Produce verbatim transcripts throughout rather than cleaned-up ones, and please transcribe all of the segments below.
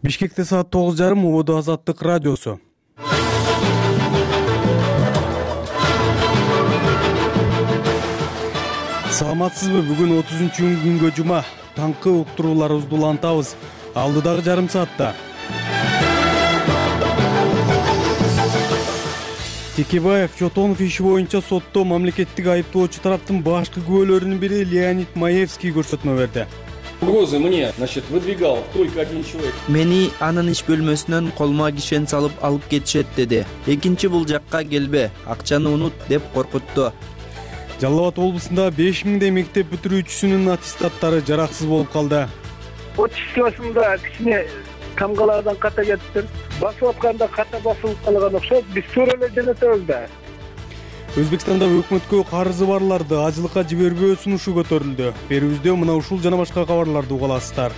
Бишкекте саат тогуз жарым убада Азаттык радиосу. Саламатсызбы? Бүгүн отузунчу күнгө жума. Таңкы уктурууларыбызды улантабыз. Алдыдагы жарым саатта Текебаев Чотонов иши боюнча сотто мамлекеттик айыптоочу тараптын башкы күбөлөрүнүн бири Леонид Маевский көрсөтмө берди. Угрозы мне, значит, выдвигал только один человек. Мени анын иш бөлмөсүнөн колума кишен салып алып кетишет деди. Экинчи бул жакка келбе, акчаны унут деп коркутту. Жалал Абад облусунда беш миңдей мектеп бүтүрүүчүсүнүн аттестаттары жараксыз болуп калды. отуз классында кичине камгалардан ката кетиптир. Басып атканда ката басылып калган окшойт. Биз туура эле жөнөтөбүз да. Өзбекстанда өкмөткө карызы барларды ажылыкка жибербөө сунушу көтөрүлдү. Берүүбүздө мына ушул жана башка кабарларды угаласыздар.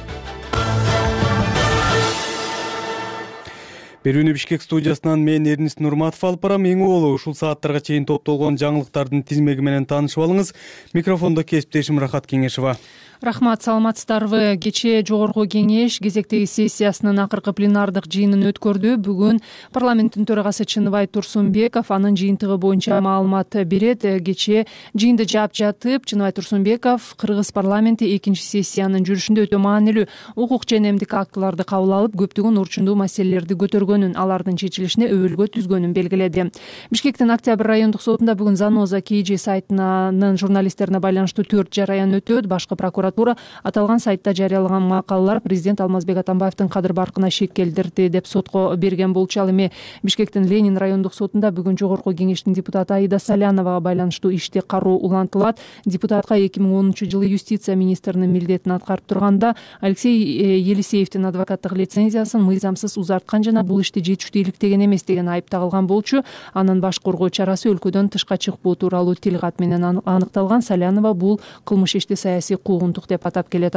Берүүнү Бишкек студиясынан мен Эрнис Нурматов алып барам. Эң боло ушул сааттарга чейин топтолгон жаңылыктардын тизмеги менен таанышып алыңыз. Микрофондо кесиптешим Рахат Кеңешова. Рахмат, саламатсыздарбы? Кечээ Жогорку Кеңеш кезектеги сессиясынын акыркы пленардык жыйынын өткөрдү. Бүгүн парламенттин төрагасы Чыныбай Турсунбеков анын жыйынтыгы боюнча маалымат берет. Кечээ жыйынды жаап жатып, Чыныбай Турсунбеков кыргыз парламенти экинчи сессиянын жүрүшүндө өтө маанилүү укук жана эмдик актыларды кабыл алып, көптөгөн урчундуу маселелерди көтөргөнүн, алардын чечилишине өбөлгө түзгөнүн белгиледи. Бишкектин Октябрь райондук сотунда бүгүн Заноза КЖ сайтынын журналисттерине байланыштуу төрт жараян өтөт. Башкы прокуратура аталган сайтта жарыялаган макалалар президент Алмазбек Атамбаевдин кадыр баркына шек келтирди деп сотко берген болчу. Ал эми Бишкектин Ленин райондук сотунда бүгүн Жогорку Кеңештин депутаты Аида Саляновага байланыштуу ишти кароо улантылат. Депутатка эки миң онунчу жылы юстиция министринин милдетин аткарып турганда Алексей Елисеевдин адвокаттык лицензиясын мыйзамсыз узарткан жана бул ишти жетиштүү иликтеген эмес деген айып тагылган болчу. Анын баш коргоо чарасы өлкөдөн тышка чыкпоо тууралуу тил кат менен аныкталган. Салянова бул кылмыш ишти саясий куугунтук деп атап келет.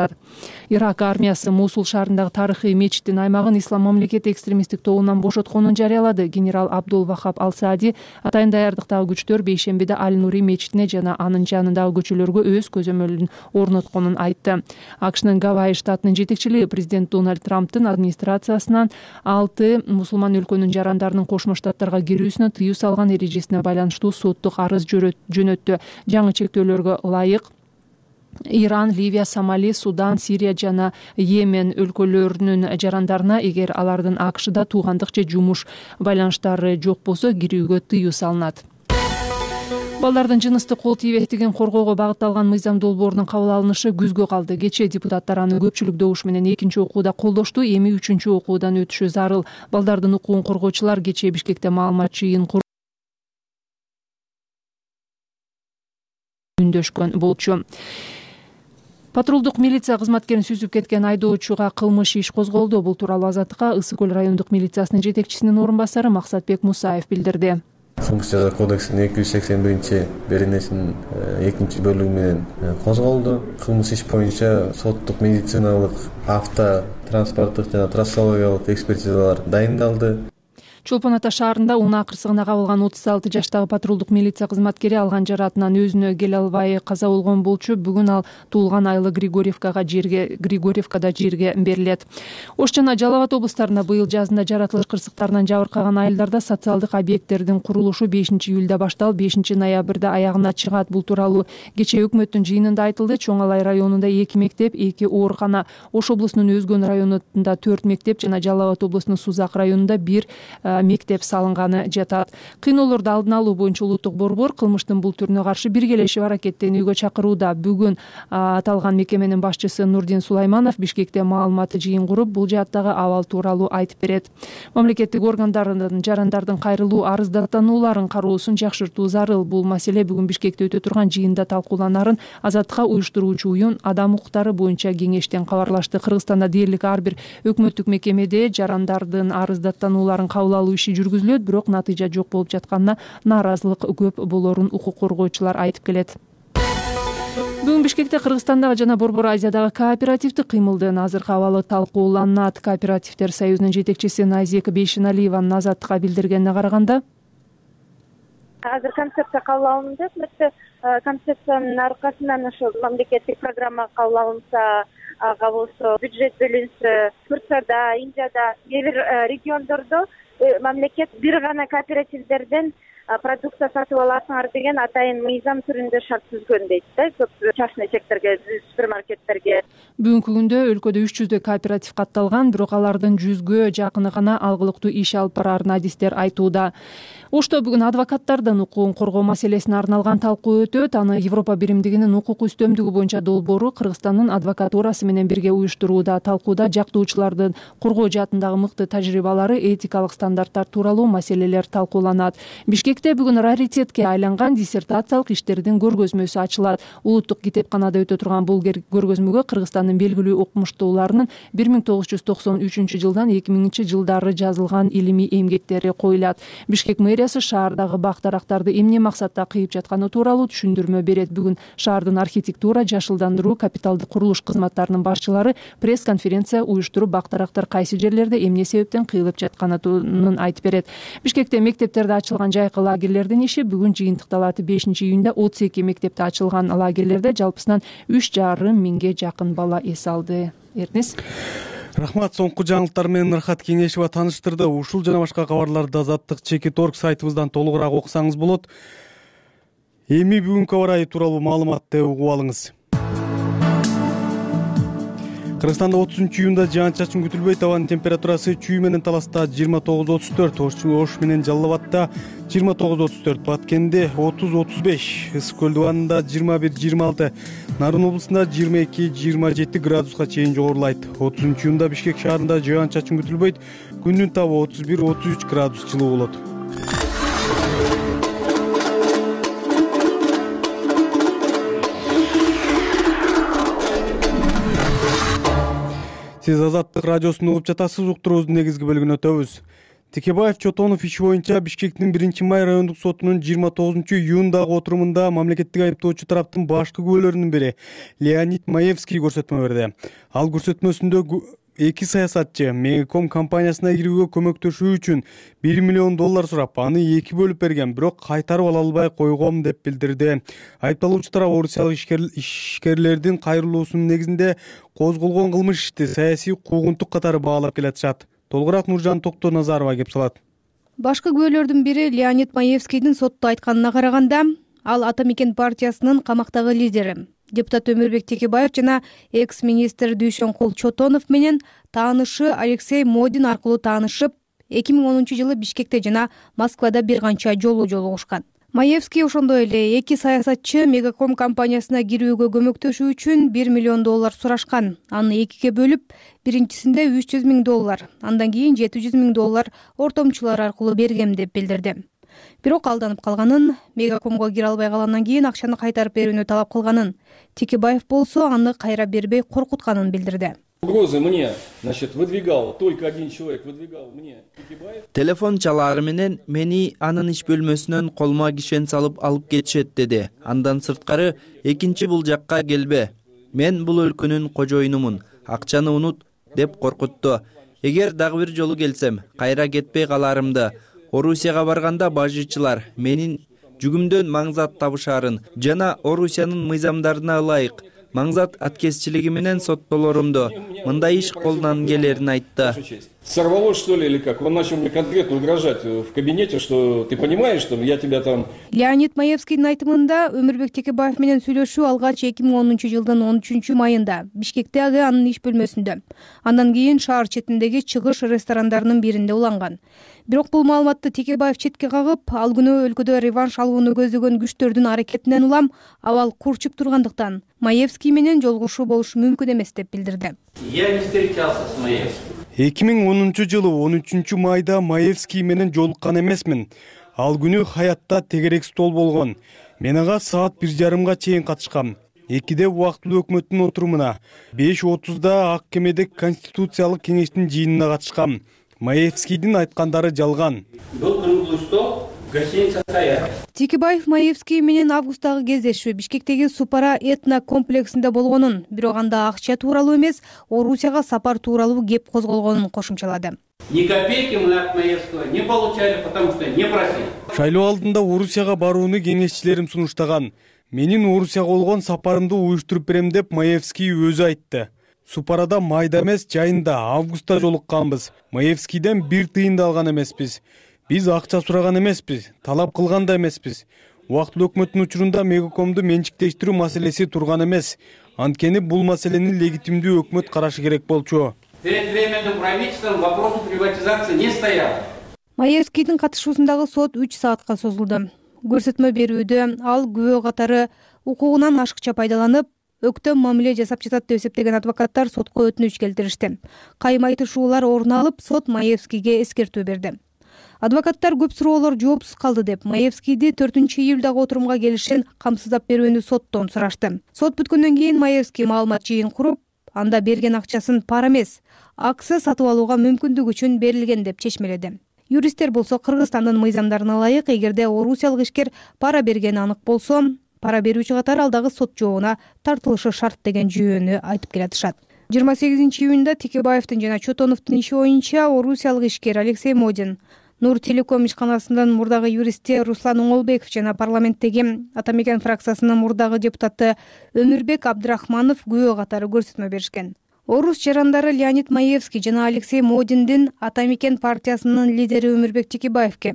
Ирак армиясы Мусул шаарындагы тарыхый мечиттин аймагын Ислам мамлекети экстремисттик тобунан бошотконун жарыялады. Генерал Абдул Вахаб Ал-Саади атайын даярдыктагы күчтөр Бейшембиде Аль-Нури мечитине жана анын жанындагы көчөлөргө өз көзөмөлүн орнотконун айтты. АКШнын Гавайи штатынын жетекчилиги президент Дональд Трамптын администрациясынан алты мусулман өлкөнүн жарандарынын Кошмо Штаттарга кирүүсүнө тыюу салган эрежесине байланыштуу соттук арыз жөнөттү. Жаңы чектөөлөргө ылайык Иран, Ливия, Сомали, Судан, Сирия жана Йемен өлкөлөрүнүн жарандарына эгер алардын АКШда туугандык же жумуш байланыштары жок болсо кирүүгө тыюу салынат. Балдардын жыныстык кол тийбестигин коргоого багытталган мыйзам долбоорунун кабыл алынышы күзгө калды. Кечээ депутаттар аны көпчүлүк добуш менен экинчи окууда колдошту. Эми үчүнчү окуудан өтүшү зарыл. Балдардын укугун коргоочулар кечээ Бишкекте маалымат жыйын үндөшкөн болчу. Патрулдук милиция кызматкерин сүзүп кеткен айдоочуга кылмыш иш козголду. Бул тууралуу Азаттыкка Ысык көл райондук милициясынын жетекчисинин орун басары Максатбек Мусаев билдирди. Кылмыш жаза кодексинин эки жүз сексен биринчи беренесинин экинчи бөлүгү менен козголду. Кылмыш иш боюнча соттук медициналык, авто транспорттук жана трассологиялык экспертизалар дайындалды. Чолпон Ата шаарында унаа кырсыгына кабылган отуз алты жаштагы патрулдук милиция кызматкери алган жараатынан өзүнө келе албай каза болгон болчу. Бүгүн ал туулган айылы Григорьевкага жерге Григорьевкада жерге берилет. Ош жана Жалал Абад облустарында быйыл жазында жаратылыш кырсыктарынан жабыркаган айылдарда социалдык объекттердин курулушу бешинчи июлда башталып, бешинчи ноябрда аягына чыгат. Бул тууралуу кечээ өкмөттүн жыйынында айтылды. Чоң Алай районунда эки мектеп, эки оорукана, Ош облусунун Өзгөн районунда төрт мектеп жана Жалал Абад облусунун Сузак районунда бир мектеп салынганы жатат. Кыйноолорду алдын алуу боюнча улуттук борбор кылмыштын бул түрүнө каршы биргелешип аракеттенүүгө чакырууда. Бүгүн аталган мекеменин башчысы Нурдин Сулайманов Бишкекте маалыматтык жыйын куруп, бул жааттагы абал тууралуу айтып берет. Мамлекеттик органдардын жарандардын кайрылуу арыздаттанууларын кароосун жакшыртуу зарыл. Бул маселе бүгүн Бишкекте өтө турган жыйында талкууланарын Азаттыкка уюштуруучу уюн Адам укуктары боюнча кеңештен кабарлашты. Кыргызстанда дээрлик ар бир өкмөттүк мекемеде жарандардын арыздаттанууларын кабыл алуу иши жүргүзүлөт, бирок натыйжа жок болуп жатканына нааразылык көп болорун укук коргоочулар айтып келет. Бүгүн Бишкекте Кыргызстандагы жана Борбор Азиядагы кооперативдик кыймылдын азыркы абалы талкууланат. Кооперативдер союзунун жетекчиси Назика Бейшеналиеванын Азаттыкка билдиргенине караганда, азыр концепция кабыл алынды. Өкмөттө концепциянын аркасынан ошол мамлекеттик программа кабыл алынса, ага болсо бюджет бөлүнсө, Турцияда, Индияда, кээ бир региондордо мамлекет бир гана кооперативдерден продукция сатып аласыңар деген атайын мыйзам түрүндө шарт түзгөн дейт да көп частный секторго, супермаркеттерге. Бүгүнкү күндө өлкөдө үч жүздөй кооператив катталган, бирок алардын жүзгө жакыны гана алгылыктуу иш алып барарын адистер айтууда. Ошто бүгүн адвокаттардын укугун коргоо маселесине арналган талкуу өтөт. Аны Европа биримдигинин укук үстөмдүгү боюнча долбоору Кыргызстандын адвокатурасы менен бирге уюштурууда. Талкууда жактоочулардын коргоо жаатындагы мыкты тажрыйбалары, этикалык стандарттар тууралуу маселелер талкууланат. Бишкекте бүгүн раритетке айланган диссертациялык иштердин көргөзмөсү ачылат. Улуттук китепканада өтө турган бул көргөзмөгө Кыргызстандын белгилүү окумуштууларынын бир миң тогуз жүз токсон үчүнчү жылдан эки миңинчи жылдары жазылган илимий эмгектери коюлат. Бишкек мэриясы шаардагы бак-дарактарды эмне максатта кыйып жатканы тууралуу түшүндүрмө берет. Бүгүн шаардын архитектура, жашылдандыруу, капиталдык курулуш кызматтарынын башчылары пресс-конференция уюштуруп, бак-дарактар кайсы жерлерде эмне себептен кыйылып жатканын айтып берет. Бишкекте мектептерде ачылган жайкы лагерлердин иши бүгүн жыйынтыкталат. бешинчи июнда отуз эки мектепте ачылган лагерлерде жалпысынан үч жарым миңге жакын бала эс алды. Эрнис. Рахмат. Соңку жаңылыктар менен Ырахат Кеңешева тааныштырды. Ушул жана башка кабарларды Азаттык чекит орг сайтыбыздан толугураак окусаңыз болот. Эми бүгүнкү аба ырайы тууралуу маалыматты угуп алыңыз. Кыргызстанда отузунчу июнда жаан-чачын күтүлбөйт. Абанын температурасы Чүй менен Таласта жыйырма тогуз отуз төрт, Ош менен Жалал Абадта жыйырма тогуз отуз төрт, Баткенде отуз отуз беш, Ысык Көл дубанында жыйырма бир жыйырма алты, Нарын облусунда жыйырма эки жыйырма жети градуска чейин жогорулайт. отузунчу июнда Бишкек шаарында жаан-чачын күтүлбөйт. Күндүн табы отуз бир отуз үч градус жылуу болот. Сиз Азаттык радиосун угуп жатасыз. Уктуруубуздун негизги бөлүгүнө өтөбүз. Текебаев Чотонов иши боюнча Бишкектин биринчи май райондук сотунун жыйырма тогузунчу июндагы отурумунда мамлекеттик айыптоочу тараптын башкы күбөлөрүнүн бири Леонид Маевский көрсөтмө берди. Ал көрсөтмөсүндө эки саясатчы Мегаком компаниясына кирүүгө көмөктөшүү үчүн бир миллион доллар сурап, аны эки бөлүп берген, бирок кайтарып ала албай койгом деп билдирди. Айыпталуучу тарап орусиялык ишкерлердин кайрылуусунун негизинде козголгон кылмыш ишти саясий куугунтук катары баалап келатышат. Толугураак Нуржан Токтоназарова кеп салат. Башкы күбөлөрдүн бири Леонид Маевскийдин сотто айтканына караганда, ал Ата Мекен партиясынын камактагы лидери. Депутат Өмүрбек Текебаев жана экс-министр Дүйшөнкул Чотонов менен таанышы Алексей Модин аркылуу таанышып, эки миң онунчу жылы Бишкекте жана Москвада бир канча жолу жолугушкан. Маевский ошондой эле эки саясатчы Мегаком компаниясына кирүүгө көмөктөшүү үчүн бир миллион доллар сурашкан. Аны экиге бөлүп, биринчисинде үч жүз миң доллар, андан кийин жети жүз миң доллар ортомчулар аркылуу бергем деп билдирди. Бирок алданып калганын, Мегакомго кире албай калгандан кийин акчаны кайтарып берүүнү талап кылганын, Текебаев болсо аны кайра бербей коркутканын билдирди. Угрозы мне, значит, выдвигал только один человек, выдвигал мне Текебаев. Телефон чалаары менен мени анын иш бөлмөсүнөн колума кишен салып алып кетишет деди. Андан сырткары экинчи бул жакка келбе. Мен бул өлкөнүн кожоюнумун, акчаны унут деп коркутту. Эгер дагы бир жолу келсем, кайра кетпей каларымды. Орусияга барганда бажычылар менин жүгүмдөн маңзат табышаарын жана Орусиянын мыйзамдарына ылайык маңзат аткезчилиги менен соттолорумду мындай иш колунан келерин айтты. Сорвалось, что ли, или как? Он начал мне конкретно угрожать в кабинете, что ты понимаешь, что я тебя там... Леонид Маевскийдин айтымында Өмүрбек Текебаев менен сүйлөшүү алгач эки миң онунчу жылдын он үчүнчү майында Бишкектеги анын иш бөлмөсүндө. Андан кийин шаар четиндеги чыгыш ресторандарынын биринде уланган. Бирок бул маалыматты Текебаев четке кагып, ал күнү өлкөдө реванш алууну көздөгөн күчтөрдүн аракетинен улам абал курчуп тургандыктан Маевский менен жолугушуу болушу мүмкүн эмес деп билдирди. Я не встречался с Маевским. эки миң онунчу жылы он үчүнчү майда Маевский менен жолуккан эмесмин. Ал күнү Хаятта тегерек стол болгон. Мен ага саат бир жарымга чейин катышкам. экиде убактылуу өкмөттүн отурумуна, беш отузда Ак Кемедеги Конституциялык кеңештин жыйынына катышкам. Маевскийдин айткандары жалган. Был круглый стол в гостинице «Хаят». Текебаев Маевский менен августтагы кездешүү Бишкектеги Супара этно комплексинде болгонун, бирок анда акча тууралуу эмес, Орусияга сапар тууралуу кеп козголгонун кошумчалады. Ни копейки мы от Маевского не получали, потому что не просили. Шайлоо алдында Орусияга барууну кеңешчилерим сунуштаган. Менин Орусияга болгон сапарымды уюштуруп берем деп Маевский өзү айтты. Супарада майда эмес, жайында августта жолукканбыз. Маевскийден бир тыйын да алган эмеспиз. Биз акча сураган эмеспиз, талап кылган да эмеспиз. Убактылуу өкмөттүн учурунда Мегакомду менчиктештирүү маселеси турган эмес. Анткени бул маселени легитимдүү өкмөт карашы керек болчу. Перед временным правительством вопрос приватизации не стоял. Маевскийдин катышуусундагы сот үч саатка созулду. Көрсөтмө берүүдө ал күбө катары укугунан ашыкча пайдаланып, өктөм мамиле жасап жатат деп эсептеген адвокаттар сотко өтүнүч келтиришти. Кайым айтышуулар орун алып, сот Маевскийге эскертүү берди. Адвокаттар көп суроолор жоопсуз калды деп Маевскийди төртүнчү июлдагы отурумга келишин камсыздап берүүнү соттон сурашты. Сот бүткөндөн кийин Маевский маалымат жыйын куруп, анда берген акчасын пара эмес, акция сатып алууга мүмкүндүк үчүн берилген деп чечмеледи. Юристтер болсо Кыргызстандын мыйзамдарына ылайык, эгерде орусиялык ишкер пара бергени анык болсо, пара берүүчү катары ал дагы сот жообуна тартылышы шарт деген жүйөнү айтып келатышат. жыйырма сегизинчи июнда Текебаевдин жана Чотоновдун иши боюнча орусиялык ишкер Алексей Модин, Нур Телеком ишканасынын мурдагы юристи Руслан Оңолбеков жана парламенттеги Ата Мекен фракциясынын мурдагы депутаты Өмүрбек Абдрахманов күбө катары көрсөтмө беришкен. Орус жарандары Леонид Маевский жана Алексей Модиндин Ата Мекен партиясынын лидери Өмүрбек Текебаевке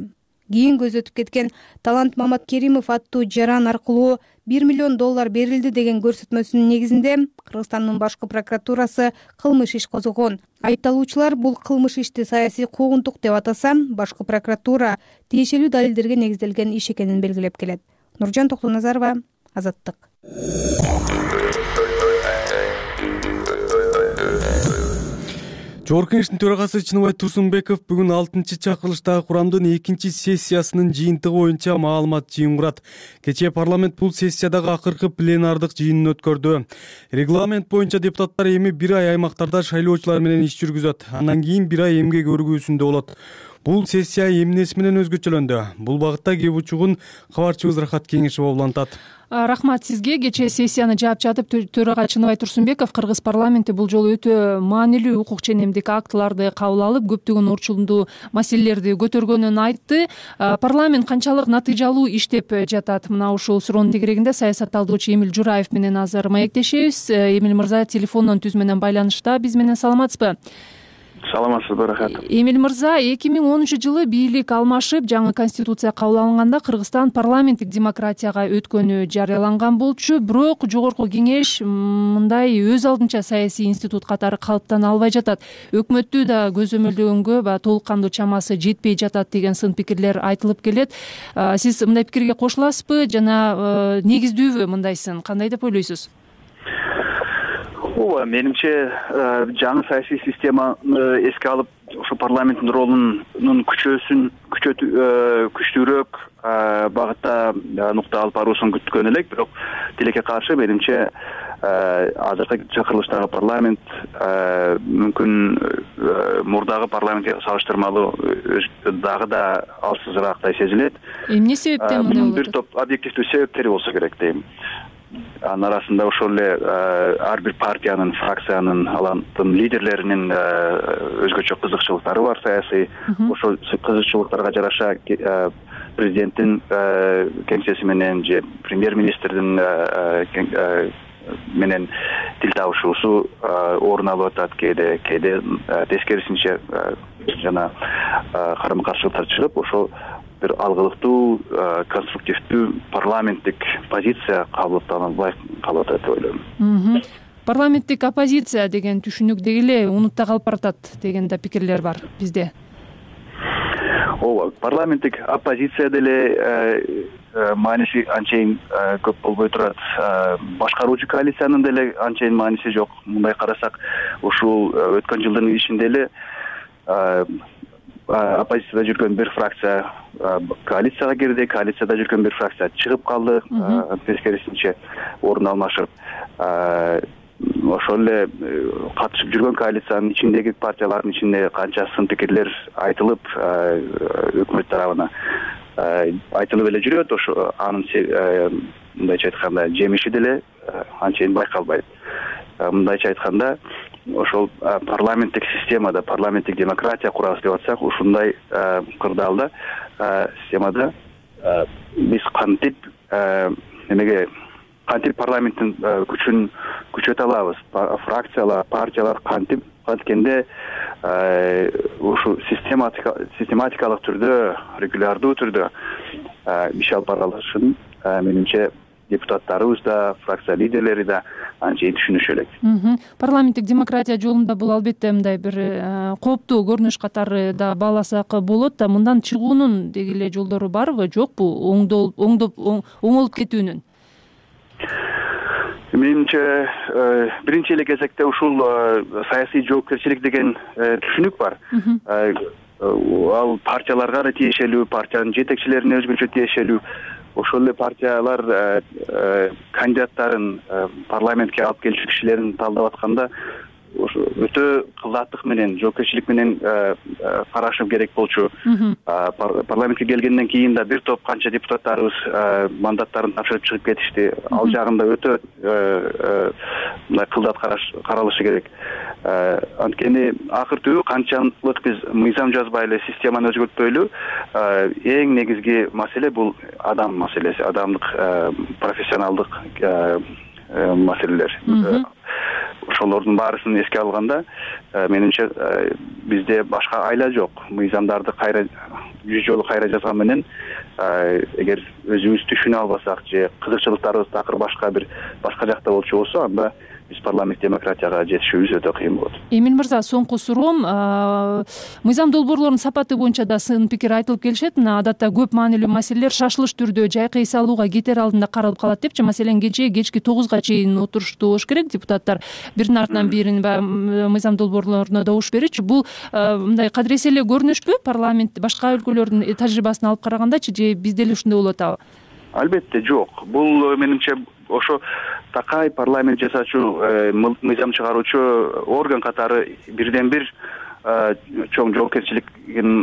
кийин көз өтүп кеткен Талант Маматкеримов аттуу жаран аркылуу бир миллион доллар берилди деген көрсөтмөсүнүн негизинде Кыргызстандын башкы прокуратурасы кылмыш иш козгогон. Айыпталуучулар бул кылмыш ишти саясий куугунтук деп атаса, башкы прокуратура тиешелүү далилдерге негизделген иш экенин белгилеп келет. Нуржан Токтоназарова, Азаттык. Жогорку Кеңештин төрагасы Чыныбай Турсунбеков бүгүн алтынчы чакырылыштагы курамдын экинчи сессиясынын жыйынтыгы боюнча маалымат жыйын курат. Кечээ парламент бул сессиядагы акыркы пленардык жыйынын өткөрдү. Регламент боюнча депутаттар эми бир ай аймактарда шайлоочулар менен иш жүргүзөт. Андан кийин бир ай эмгек өргүүсүндө болот. Бул сессия эмнеси менен өзгөчөлөндү? Бул багытта кеп учугун кабарчыбыз Рахат Кеңешова улантат. Рахмат сизге. Кечээ сессияны жаап жатып төрага Чыныбай Турсунбеков Кыргыз парламенти бул жолу өтө маанилүү укук ченемдик актыларды кабыл алып, көптөгөн урчулдуу маселелерди көтөргөнүн айтты. Парламент канчалык натыйжалуу иштеп жатат? Мына ушул суроонун тегерегинде саясатталдоочу Эмил Жураев менен азыр маектешебиз. Эмил мырза телефондон түз менен байланышта биз менен. Саламатсызбы? Саламатсызбы, рахат. Эмил мырза, эки миң онунчу жылы бийлик алмашып, жаңы конституция кабыл алынганда Кыргызстан парламенттик демократияга өткөнү жарыяланган болчу, бирок жогорку кеңеш мындай өз алдынча саясий институт катары калыптана албай жатат. Өкмөттү да көзөмөлдөгөнгө баягы толук кандуу чамасы жетпей жатат деген сын пикирлер айтылып келет. Сиз мындай пикирге кошуласызбы жана негиздүүбү мындай сын? Кандай деп ойлойсуз? Ооба, менимче жаңы саясий системаны эске алып, ошо парламенттин ролунун күчөөсүн күчтүүрөөк багытта нукта алып баруусун күткөн элек, бирок тилекке каршы менимче азыркы чакырылыштагы парламент мүмкүн мурдагы парламентке салыштырмалуу дагы да алсызыраактай сезилет. Эмне себептен мындай болот? Бир топ объективдүү себептери болсо керек дейм. Анын арасында ошол эле ар бир партиянын, фракциянын, алардын лидерлеринин өзгөчө кызыкчылыктары бар саясий. Ошол кызыкчылыктарга жараша президенттин кеңсеси менен же премьер-министрдин менен тил табышуусу орун алып атат, кээде кээде тескерисинче жана карама каршылыктар чыгып, ошол бир алгылыктуу, конструктивдүү парламенттик позиция кабылданбай калып атат деп ойлойм. Парламенттик оппозиция деген түшүнүк деги эле унутта калып баратат деген да пикирлер бар бизде. Ооба, парламенттик оппозиция деле мааниси анчейин көп болбой турат. Башкаруучу коалициянын деле анчейин мааниси жок. Мындай карасак, ушул өткөн жылдын ишинде эле оппозицияда жүргөн бир фракция коалицияга кирди, коалицияда жүргөн бир фракция чыгып калды, тескерисинче орун алмашып. Ошол эле катышып жүргөн коалициянын ичиндеги партиялардын ичинде канча сын пикирлер айтылып, өкмөт тарабына айтылып эле жүрөт. Ошо анын мындайча айтканда жемиши деле анчейин байкалбайт. Мындайча айтканда, ошол парламенттик системада, парламенттик демократия курабыз деп атсак, ушундай кырдаалда системада биз кантип эмеге кантип парламенттин күчүн күчөтө алабыз, фракциялар, партиялар кантип анткенде ушу систематикалык түрдө, регулярдуу түрдө иш алып бара алышын менимче депутаттарыбыз да, фракция лидерлери да анчейин түшүнүшү элек. Парламенттик демократия жолунда бул албетте мындай бир кооптуу көрүнүш катары да бааласак болот да, мындан чыгуунун деги эле жолдору барбы, жокпу, оңдоп оңдоп оңолуп кетүүнүн? Менимче биринчи эле кезекте ушул саясий жоопкерчилик деген түшүнүк бар. Ал партияларга да тиешелүү, партиянын жетекчилерине өзгөчө тиешелүү. Ошол эле партиялар кандидаттарын парламентке алып келчү кишилерин талдап атканда өтө кылдаттык менен, жоопкерчилик менен карашып керек болчу. Парламентке келгенден кийин да бир топ канча депутаттарыбыз мандаттарын тапшырып чыгып кетишти. Ал жагында өтө мындай кылдат каралышы керек. Анткени акыр түбү канчалык биз мыйзам жазбай эле системаны өзгөртпөйлү, эң негизги маселе бул адам маселеси, адамдык, профессионалдык маселелер. Ошолордун баарысын эске алганда, менимче бизде башка айла жок. Мыйзамдарды кайра жүз жолу кайра жазган менен, эгер өзүбүз түшүнө албасак же кызыкчылыктарыбыз такыр башка бир башка жакта болчу болсо, анда биз парламент демократияга жетишүүбүз өтө кыйын болот. Эмин мырза, соңку суроом, мыйзам долбоорлорунун сапаты боюнча да сын пикир айтылып келишет. Мына адатта көп маанилүү маселелер шашылыш түрдө жайкы эс алууга кетер алдында каралып калат депчи. Маселен, кечээ кечки тогузга чейин отурушту болуш керек, депутаттар биринин артынан бирин баягы мыйзам долбоорлоруна добуш беричи. Бул мындай кадыресе эле көрүнүшпү парламент башка өлкөлөрдүн тажрыйбасын алып карагандачы, же бизде эле ушундай болуп атабы? Албетте жок. Бул менимче ошо такай парламент жасаучу, мыйзам чыгаруучу орган катары бирден бир чоң жоопкерчилигин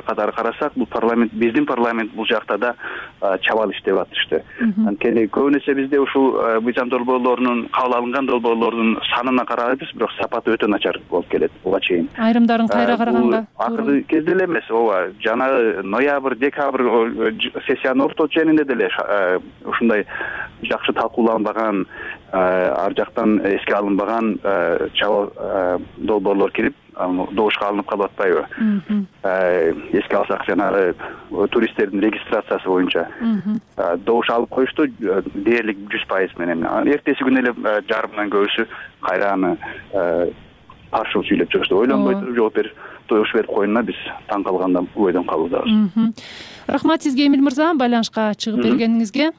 катары карасак, бул парламент, биздин парламент бул жакта да чабал иштеп атышты. Анткени көбүнесе бизде ушул мыйзам долбоорлорунун, кабыл алынган долбоорлордун санына карайбыз, бирок сапаты өтө начар болуп келет буга чейин. Айрымдарын кайра караганга акыркы кезде эле эмес, ооба, жанагы ноябрь, декабрь сессиянын орто ченинде деле ушундай жакшы талкууланбаган, ар жактан эске алынбаган чабал долбоорлор кирип добушка алынып калып атпайбы? Эске алсак, жанагы туристтердин регистрациясы боюнча добуш алып коюшту дээрлик жүз пайыз менен. Эртеси күнү эле жарымдан көбүсү кайра аны каршылык сүйлөп чыгышты. Ойлонбой туруп жооп берип, добуш берип коюнуна биз таң калгандан ойдон калуудабыз. Рахмат сизге, Эмил мырза, байланышка чыгып бергениңизге.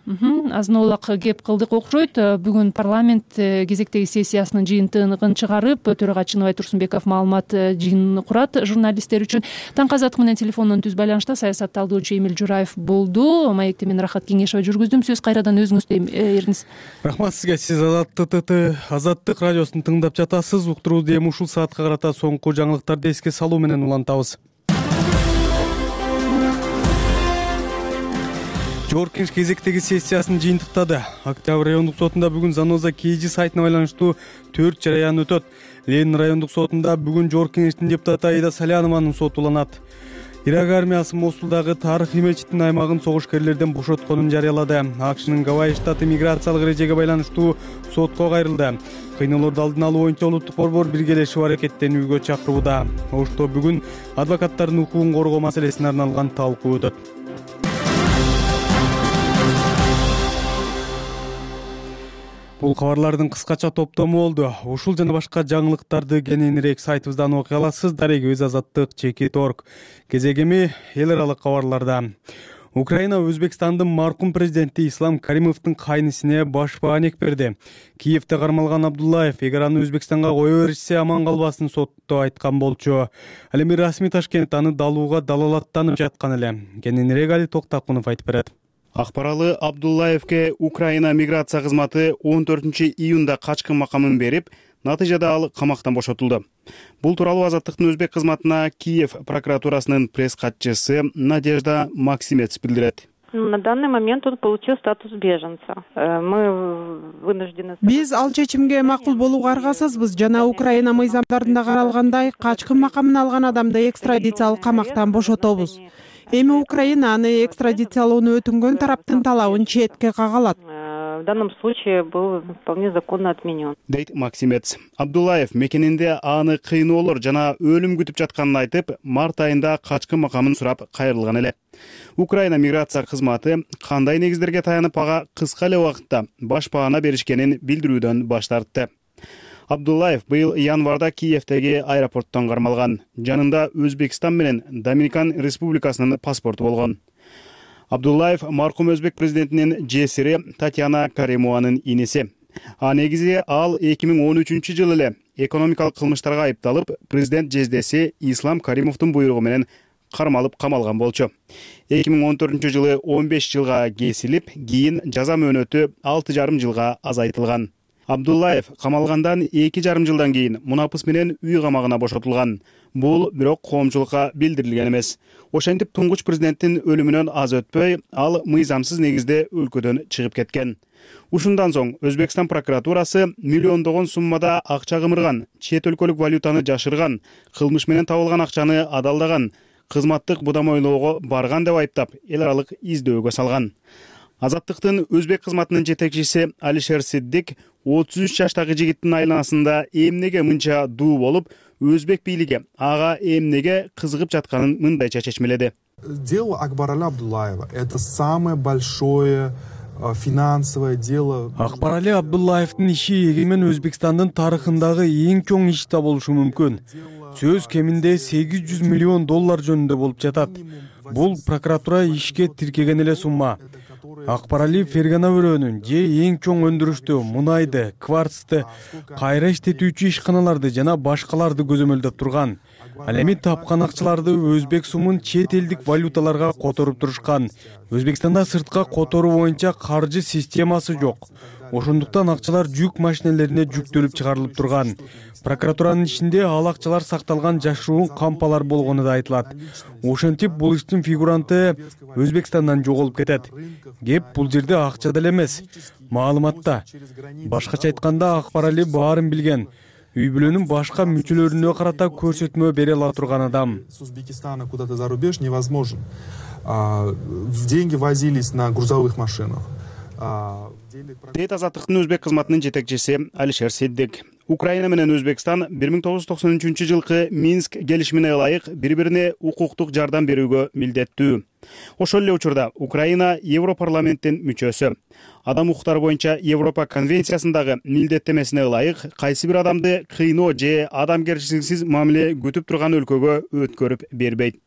Азын оолак кеп кылдык окшойт. Бүгүн парламент кезектеги сессиясынын жыйынтыгын чыгарып, төрагач Чыныбай Турсунбеков маалымат жыйынын курат журналисттер үчүн. Таңкы азаттык менен телефондон түз байланышта саясат талдоочу Эмил Жураев болду. Маекти мен Рахат Кеңешова жүргүздүм. Сөз кайрадан өзүңүздө эриңиз. Рахмат сизге. Сиз Азаттык радиосун тыңдап жатасыз. Уктуруубузду эми ушул саатка карата соңку жаңылыктарды эске салуу менен улантабыз. Жогорку Кеңеш кезектеги сессиясын жыйынтыктады. Октябрь райондук сотунда бүгүн Заноза КЖ сайтына байланыштуу төрт жараян өтөт. Ленин райондук сотунда бүгүн Жогорку Кеңештин депутаты Аида Салянованын соту уланат. Ирак армиясы Мосулдагы тарыхый мечиттин аймагын согушкерлерден бошотконун жарыялады. АКШнын Гавайи штаты миграциялык эрежеге байланыштуу сотко кайрылды. Кыйноолорду алдын алуу боюнча улуттук борбор биргелешип аракеттенүүгө чакырууда. Ошто бүгүн адвокаттардын укугун коргоо маселесине арналган талкуу өтөт. Бул кабарлардын кыскача топтому болду. Ушул жана башка жаңылыктарды кененирээк сайтыбыздан окуй аласыз. Дарегибиз азаттык чекит точка орг. Кезегеми эл аралык кабарларда. Украина Өзбекстандын маркум президенти Ислам Каримовдун кайнысине баш бааник берди. Киевде кармалган Абдуллаев эгер аны Өзбекстанга кое беришсе аман калбасын сотто айткан болчу. Ал эми расмий Ташкент аны далууга далалаттанып жаткан эле. Кененирээк Али Токтакунов айтып берет. Акбаралы Абдуллаевке Украина миграция кызматы он төртүнчү июнда качкын макамын берип, натыйжада ал камактан бошотулду. Бул тууралуу Азаттыктын өзбек кызматына Киев прокуратурасынын пресс катчысы Надежда Максимец билдирет. На данный момент он получил статус беженца. Мы вынуждены... Биз ал чечимге макул болууга аргасызбыз жана Украина мыйзамдарында каралгандай качкын макамын алган адамды экстрадициялык камактан бошотобуз. Эми Украина аны экстрадициялоону өтүнгөн тараптын талабын четке кагалат. в данном случае был вполне законно отменен, дейт Максимец. Абдуллаев мекенинде аны кыйноолор жана өлүм күтүп жатканын айтып, март айында качкын макамын сурап кайрылган эле. Украина миграция кызматы кандай негиздерге таянып ага кыска эле убакытта баш баана беришкенин билдирүүдөн баш тартты. Абдуллаев быйыл январда Киевдеги аэропорттон кармалган. Жанында Өзбекстан менен Доминикан Республикасынын паспорту болгон. Абдуллаев маркум Өзбек президентинин жесири Татьяна Каримованын иниси. А негизи ал эки миң он үчүнчү жылы эле экономикалык кылмыштарга айыпталып, президент жездеси Ислам Каримовдун буйругу менен кармалып камалган болчу. эки миң он төртүнчү жылы он беш жылга кесилип, кийин жаза мөөнөтү алты жарым жылга азайтылган. Абдуллаев камалгандан эки жарым жылдан кийин мунапыс менен үй камагына бошотулган. Бул бирок коомчулукка билдирилген эмес. Ошентип туңгуч президенттин өлүмүнөн аз өтпөй, ал мыйзамсыз негизде өлкөдөн чыгып кеткен. Ушундан соң Өзбекстан прокуратурасы миллиондогон суммада акча кымырган, чет өлкөлүк валютаны жашырган, кылмыш менен табылган акчаны адалдаган, кызматтык будамойлоого барган деп айыптап, эл аралык издөөгө салган. Азаттыктын Өзбек кызматынын жетекчиси Алишер Сиддик отуз үч жаштагы жигиттин айланасында эмнеге мынча дуу болуп, Өзбек бийлиги ага эмнеге кызыгып жатканын мындайча чечмеледи. Дело Акбарали Абдуллаева — это самое большое финансовое дело. Акбарали Абдуллаевдин иши эгемен Өзбекстандын тарыхындагы эң чоң иш да болушу мүмкүн. Сөз кеминде сегиз жүз миллион доллар жөнүндө болуп жатат. Бул прокуратура ишке тиркеген эле сумма. Акбарали Фергана өрөөнүн же эң чоң өндүрүштү мунайды, кварцты, кайра иштетүүчү ишканаларды жана башкаларды көзөмөлдөп турган. Ал эми тапкан акчаларды өзбек сумун чет элдик валюталарга которуп турушкан. Өзбекстанда сыртка которуу боюнча каржы системасы жок. Ошондуктан акчалар жүк машинелерине жүктөлүп чыгарылып турган. Прокуратуранын ичинде ал акчалар сакталган жашыруун кампалар болгону да айтылат. Ошентип бул иштин фигуранты Өзбекстандан жоголуп кетет. Кеп бул жерде акчада эле эмес, маалыматта. Башкача айтканда Акбарали баарын билген. Үй бүлөнүн башка мүчөлөрүнө карата көрсөтмө бере ала турган адам. С Узбекистана куда-то за рубеж невозможен. Деньги возились на грузовых машинах. Дейт Азаттыктын Өзбек кызматынын жетекчиси Алишер Сиддик. Украина менен Өзбекстан бир миң тогуз жүз токсон үчүнчү жылкы Минск келишимине ылайык бири-бирине укуктук жардам берүүгө милдеттүү. Ошол эле учурда Украина Европарламенттин мүчөсү. Адам укуктары боюнча Европа конвенциясындагы милдеттемесине ылайык кайсы бир адамды кыйноо же адамгерчиликсиз мамиле күтүп турган өлкөгө өткөрүп бербейт.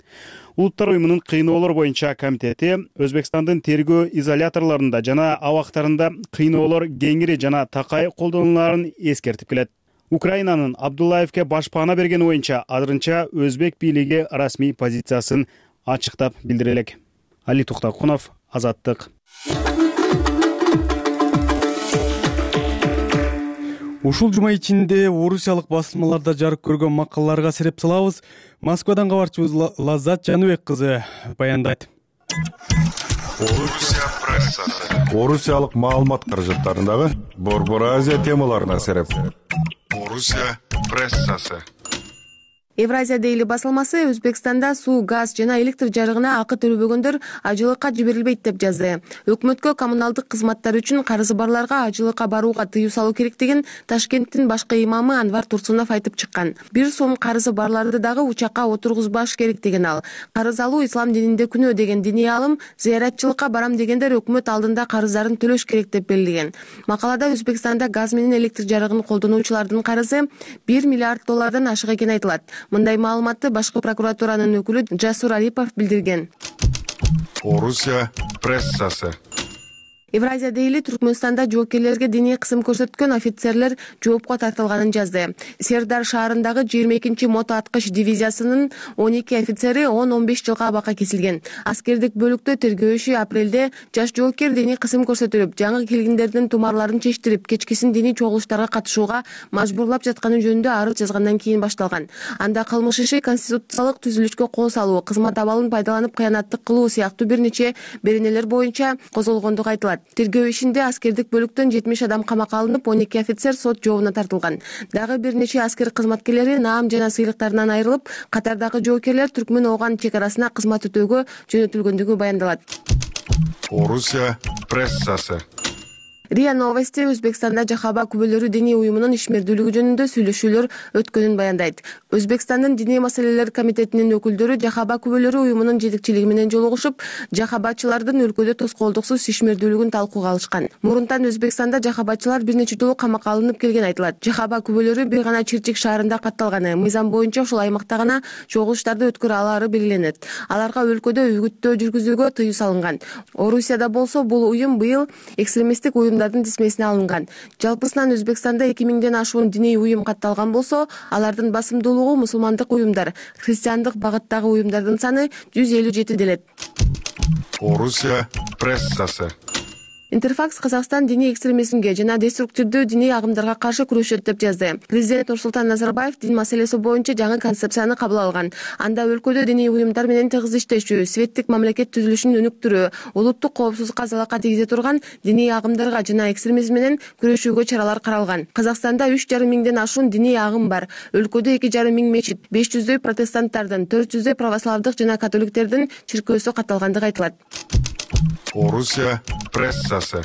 Улуттар уюмунун кыйноолор боюнча комитети Өзбекстандын тергөө изоляторлорунда жана абактарында кыйноолор кеңири жана такай колдонуларын эскертип келет. Украинанын Абдуллаевке башпаана бергени боюнча азырынча Өзбек бийлиги расмий позициясын ачыктап билдире элек. Али Туктакунов, Азаттык. Ушул жума ичинде орусиялык басылмаларда жарык көргөн макалаларга сереп салабыз. Москвадан кабарчыбыз Лаззат Жаныбек кызы баяндайт. Орусия прессасы. Орусиялык маалымат каражаттарындагы Борбор Азия темаларына сереп. Орусия прессасы. Евразия дейли басылмасы Өзбекстанда суу, газ жана электр жарыгына акы төлөбөгөндөр ажылыкка жиберилбейт деп жазды. Өкмөткө коммуналдык кызматтар үчүн карызы барларга ажылыкка барууга тыюу салуу керек деген Ташкенттин башкы имамы Анвар Турсунов айтып чыккан. Бир сом карызы барларды дагы учакка отургузбаш керек деген ал. Карыз алуу ислам дининде күнөө деген диний алым, зыяратчылыкка барам дегендер өкмөт алдында карыздарын төлөш керек деп белгилеген. Макалада Өзбекстанда газ менен электр жарыгын колдонуучулардын карызы бир миллиард доллардан ашык экени айтылат. Мындай маалыматты башкы прокуратуранын өкүлү Жасур Алипов билдирген. Орусия прессасы. Евразия дейли Түркмөнстанда жоокерлерге диний кысым көрсөткөн офицерлер жоопко тартылганын жазды. Сердар шаарындагы жыйырма экинчи мото аткыч дивизиясынын он эки офицери он он беш жылга абакка кесилген. Аскердик бөлүктө тергөө иши апрелде жаш жоокер диний кысым көрсөтүлүп, жаңы келгендердин тумарларын чечтирип, кечкисин диний чогулуштарга катышууга мажбурлап жатканы жөнүндө арыз жазгандан кийин башталган. Анда кылмыш иши конституциялык түзүлүшкө кол салуу, кызмат абалын пайдаланып кыянаттык кылуу сыяктуу бир нече беренелер боюнча козголгондугу айтылат. Тергөө ишинде аскердик бөлүктөн жетимиш адам камакка алынып, он эки офицер сот жообуна тартылган. Дагы бир нече аскер кызматкерлери наам жана сыйлыктарынан айрылып, катардагы жоокерлер Түркмөн-Ооган чек арасына кызмат өтөөгө жөнөтүлгөндүгү баяндалат. Орусия прессасы. риа новости Өзбекстанда Жахаба күбөлөрү диний уюмунун ишмердүүлүгү жөнүндө сүйлөшүүлөр өткөнүн баяндайт. Өзбекстандын диний маселелер комитетинин өкүлдөрү Жахаба күбөлөрү уюмунун жетекчилиги менен жолугушуп, жахабачылардын өлкөдө тоскоолдуксуз ишмердүүлүгүн талкууга алышкан. Мурунтан Өзбекстанда жахабачылар бир нече жолу камакка алынып келген айтылат. Жахаба күбөлөрү бир гана Чирчик шаарында катталганы, мыйзам боюнча ушул аймакта гана чогулуштарды өткөрө алары белгиленет. Аларга өлкөдө үгүттөө жүргүзүүгө тыюу салынган. Орусияда болсо бул уюм быйыл экстремисттик уюмдардын тизмесине алынган. Жалпысынан Өзбекстанда эки миңден ашуун диний уюм катталган болсо, алардын басымдуулугу мусулмандык уюмдар, христиандык багыттагы уюмдардын саны жүз элүү жети делет. Орусия прессасы. Интерфакс Казакстан диний экстремизмге жана деструктивдүү диний агымдарга каршы күрөшөт деп жазды. Президент Нурсултан Назарбаев дин маселеси боюнча жаңы концепцияны кабыл алган. Анда өлкөдө диний уюмдар менен тыгыз иштешүү, светтик мамлекет түзүлүшүн өнүктүрүү, улуттук коопсуздукка залака тийгизе турган диний агымдарга жана экстремизм менен күрөшүүгө чаралар каралган. Казакстанда үч жарым миңден ашуун диний агым бар. Өлкөдө эки жарым миң мечит, беш жүздөй протестанттардын, төрт жүздөй православдык жана католиктердин чиркөөсү катталгандыгы айтылат. Орусия прессасы.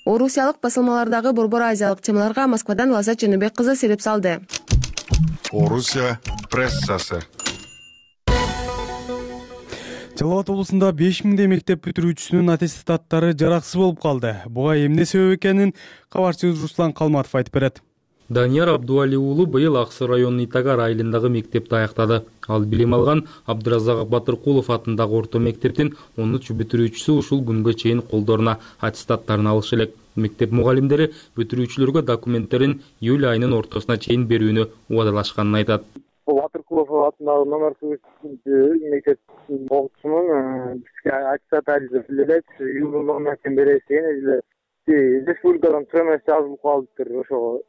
Орусиялык басылмалардагы борбор азиялык темаларга Москвадан Лаззат Жаныбек кызы сереп салды. Орусия прессасы. Жалал Абад облусунда беш миңдей мектеп бүтүрүүчүсүнүн аттестаттары жараксыз болуп калды. Буга эмне себеп экенин кабарчыбыз Руслан Калматов айтып берет. Данияр Абдуали уулу быйыл Аксы районунун Итагар айылындагы мектепти аяктады. Ал билим алган Абдыразак Батыркулов атындагы орто мектептин он үч бүтүрүүчүсү ушул күнгө чейин колдоруна аттестаттарын алышы элек. Мектеп мугалимдери бүтүрүүчүлөргө документтерин июль айынын ортосуна чейин берүүнү убадалашканын айтат. Батыркулов атындагы номер сегизинчи мектептин окуучусумун бизге аттестат алып элек июль айында беребиз деген эле республикадан төмөс жазылып калыптыр ошого.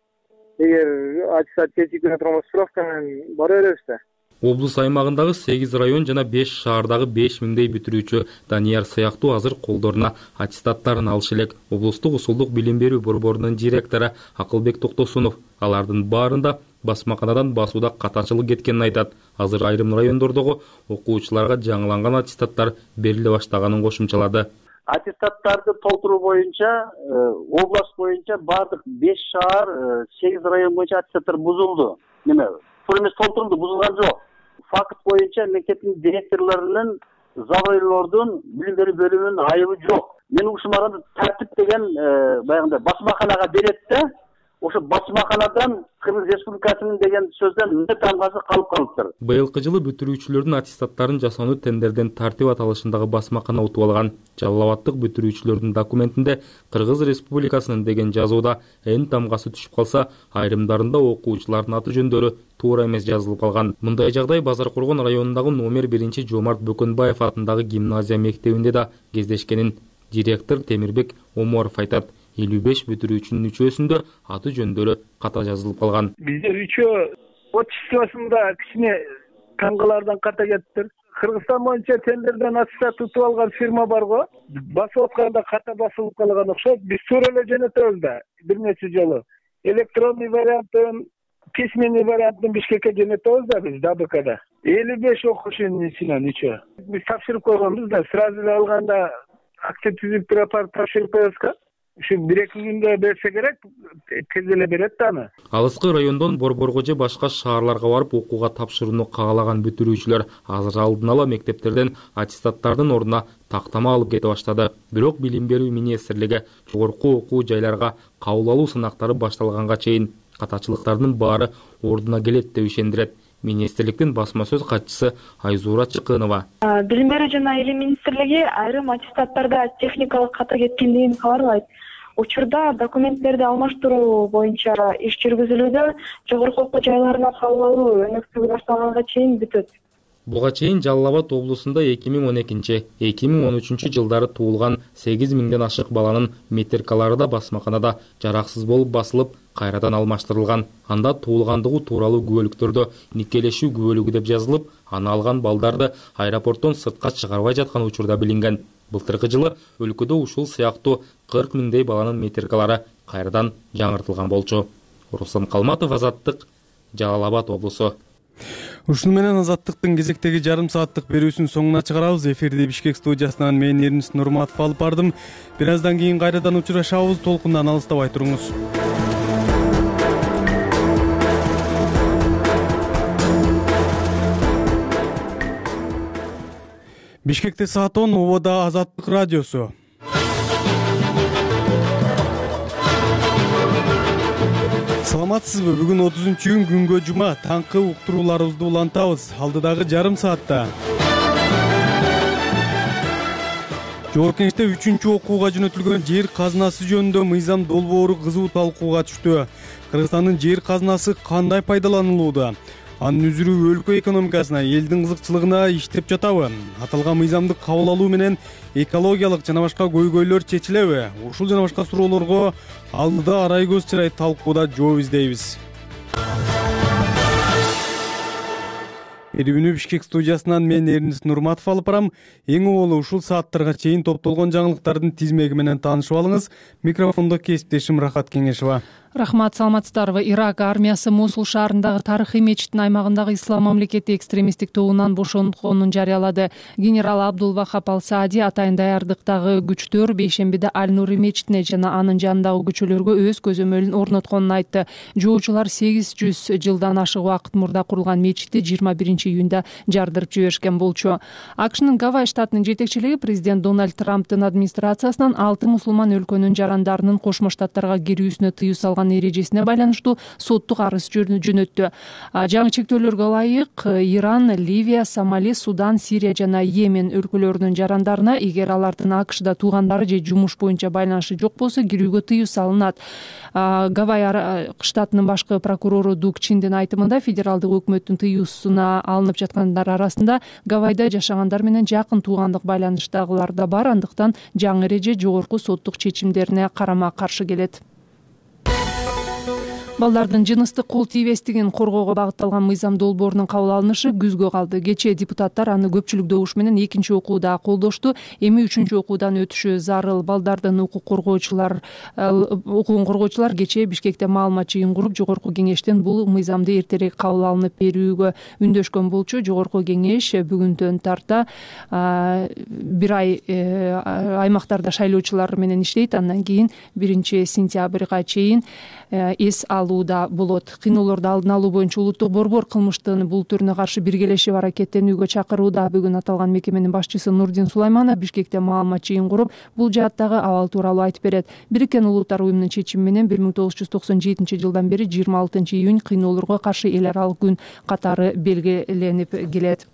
Эгер аттестат кечиккене турган справка менен бара беребиз да. Облус аймагындагы сегиз район жана беш шаардагы беш миңдей бүтүрүүчү Данияр сыяктуу азыр колдоруна аттестаттарын алышы элек. Облустук усулдук билим берүү борборунун директору Акылбек Токтосунов алардын баарында басмаканадан басууда катачылык кеткенин айтат. Азыр айрым райондордогу окуучуларга жаңыланган аттестаттар бериле баштаганын кошумчалады. Аттестаттарды толтуруу боюнча область боюнча бардык беш шаар, сегиз район боюнча аттестаттар бузулду. Неме? Бул эмес толтурулду, бузулган жок. Факт боюнча мектептин директорлорунун, завойлордун билим берүү бөлүмүнүн айыбы жок. Мен ушумарда тартип деген баягындай басмаканага берет да, ошо басмаканадан Кыргыз Республикасынын деген сөздөн мындай тамгасы калып калыптыр. Быйылкы жылы бүтүрүүчүлөрдүн аттестаттарын жасоону тендерден тартип аталышындагы басмакана утуп алган. Жалал Абадтык бүтүрүүчүлөрдүн документинде Кыргыз Республикасынын деген жазууда эн тамгасы түшүп калса, айрымдарында окуучулардын аты жөндөрү туура эмес жазылып калган. Мындай жагдай Базар Коргон районундагы номер биринчи Жомарт Бөкөнбаев атындагы гимназия мектебинде да кездешкенин директор Темирбек Оморов айтат. элүү беш бүтүрүүчүнүн үчөөсүндө аты жөндөрү ката жазылып калган. Бизде үчөө отчествосунда кичине камгалардан ката кетиптир. Кыргызстан боюнча тендерден аттестат утуп алган фирма барго, басып атканда ката басылып калган окшойт. Биз туура эле жөнөтөбүз да бир нече жолу. Электронный вариантын, письменный вариантын Бишкекке жөнөтөбүз да биз ДАБКда. элүү беш окуучунун ичинен үчөө. Биз тапшырып койгонбуз да, сразу эле алганда акча түзүп туруп тапшырып коебузга. Ушу бир-эки күндө берсе керек, тез эле берет да аны. Алыскы райондон борборго же башка шаарларга барып окууга тапшырууну каалаган бүтүрүүчүлөр азыр алдын ала мектептерден аттестаттардын ордуна тактама алып кете баштады. Бирок билим берүү министрлиги жогорку окуу жайларга кабыл алуу сынактары башталганга чейин катачылыктардын баары ордуна келет деп ишендирет. Министрликтин басма сөз катчысы Айзура Чыкынова. Билим берүү жана илим министрлиги айрым аттестаттарда техникалык ката кеткендигин кабарлайт. Учурда документтерди алмаштыруу боюнча иш жүргүзүлүүдө, жогорку окуу жайларына кабыл алуу өнөктүгү башталганга чейин бүтөт. Буга чейин Жалал Абад облусунда эки миң он экинчи — эки миң он үчүнчү жылдары туулган сегиз миңден ашык баланын метрикалары да басмаканада жараксыз болуп басылып, кайрадан алмаштырылган. Анда туулгандыгы тууралуу күбөлүктөрдө никелешүү күбөлүгү деп жазылып, аны алган балдарды аэропорттон сыртка чыгарбай жаткан учурда билинген. Былтыркы жылы өлкөдө ушул сыяктуу кырк миңдей баланын метрикалары кайрадан жаңыртылган болчу. Руслан Калматов, Азаттык, Жалал Абад облусу. Ушуну менен Азаттыктын кезектеги жарым сааттык берүүсүнүн соңуна чыгарабыз. Эфирди Бишкек студиясынан мен Эрнис Нурматов алып бардым. Бир аздан кийин кайрадан учурашабыз. Толкундан алыстабай туруңуз. Бишкекте саат он, ободо Азаттык радиосу. Саламатсызбы? Бүгүн отузунчу июнь күнгө жума. Таңкы уктурууларыбызды улантабыз. Алдыдагы жарым саатта Жогорку Кеңеште үчүнчү окууга жөнөтүлгөн жер казынасы жөнүндө мыйзам долбоору кызуу талкууга түштү. Кыргызстандын жер казынасы кандай пайдаланылууда? Анын үзүрүү өлкө экономикасына, элдин кызыкчылыгына иштеп жатабы? Аталган мыйзамды кабыл алуу менен экологиялык жана башка көйгөйлөр чечилеби? Ушул жана башка суроолорго алдыда арай көз чырай талкууда жооп издейбиз. Берүүнү Бишкек студиясынан мен Эрнис Нурматов алып барам. Эң оболу ушул сааттарга чейин топтолгон жаңылыктардын тизмеги менен таанышып алыңыз. Микрофондо кесиптешим Рахат Кеңешова. Рахмат, саламатсыздарбы? Ирак армиясы Мосул шаарындагы тарыхый мечиттин аймагындагы ислам мамлекети экстремисттик тобунан бошонгонун жарыялады. Генерал Абдул Вахаб Ал-Саади атайын даярдыктагы күчтөр бейшембиде Аль-Нури мечитине жана анын жанындагы көчөлөргө өз көзөмөлүн орнотконун айтты. Жоочулар сегиз жүз жылдан ашык убакыт мурда курулган мечитти жыйырма биринчи июнда жардырып жиберишкен болчу. АКШнын Гавай штатынын жетекчилиги президент Дональд Трамптын администрациясынан алты мусулман өлкөнүн жарандарынын Кошмо Штаттарга кирүүсүнө тыюу салган эрежесине байланыштуу соттук арыз жөнөттү. Жаңы чектөөлөргө ылайык Иран, Ливия, Сомали, Судан, Сирия жана Йемен өлкөлөрүнүн жарандарына эгер алардын АКШда туугандары же жумуш боюнча байланышы жок болсо кирүүгө тыюу салынат. Гавай штатынын башкы прокурору Дуг Чиндин айтымында федералдык өкмөттүн тыюусуна алынып жаткандар арасында Гавайда жашагандар менен жакын туугандык байланыштагылар да бар, андыктан жаңы эреже жогорку соттук чечимдерине карама каршы келет. Балдардын жыныстык кол тийбестигин коргоого багытталган мыйзам долбоорунун кабыл алынышы күзгө калды. Кечээ депутаттар аны көпчүлүк добуш менен экинчи окууда колдошту. Эми үчүнчү окуудан өтүшү зарыл. Балдардын укук коргоочулар укугун коргоочулар кечээ Бишкекте маалымат жыйын куруп, Жогорку Кеңештен бул мыйзамды эртерээк кабыл алынып берүүгө үндөшкөн болчу. Жогорку Кеңеш бүгүндөн тарта бир ай аймактарда шайлоочулар менен иштейт. Андан кийин биринчи сентябрга чейин эс алууда болот. Кыйноолорду алдын алуу боюнча улуттук борбор кылмыштын бул түрүнө каршы биргелешип аракеттенүүгө чакырууда. Бүгүн аталган мекеменин башчысы Нурдин Сулайманов Бишкекте маалымат жыйын куруп, бул жааттагы абал тууралуу айтып берет. Бириккен Улуттар уюмунун чечими менен бир миң тогуз жүз токсон жетинчи жылдан бери жыйырма алтынчы июнь кыйноолорго каршы эл аралык күн катары белгиленип келет.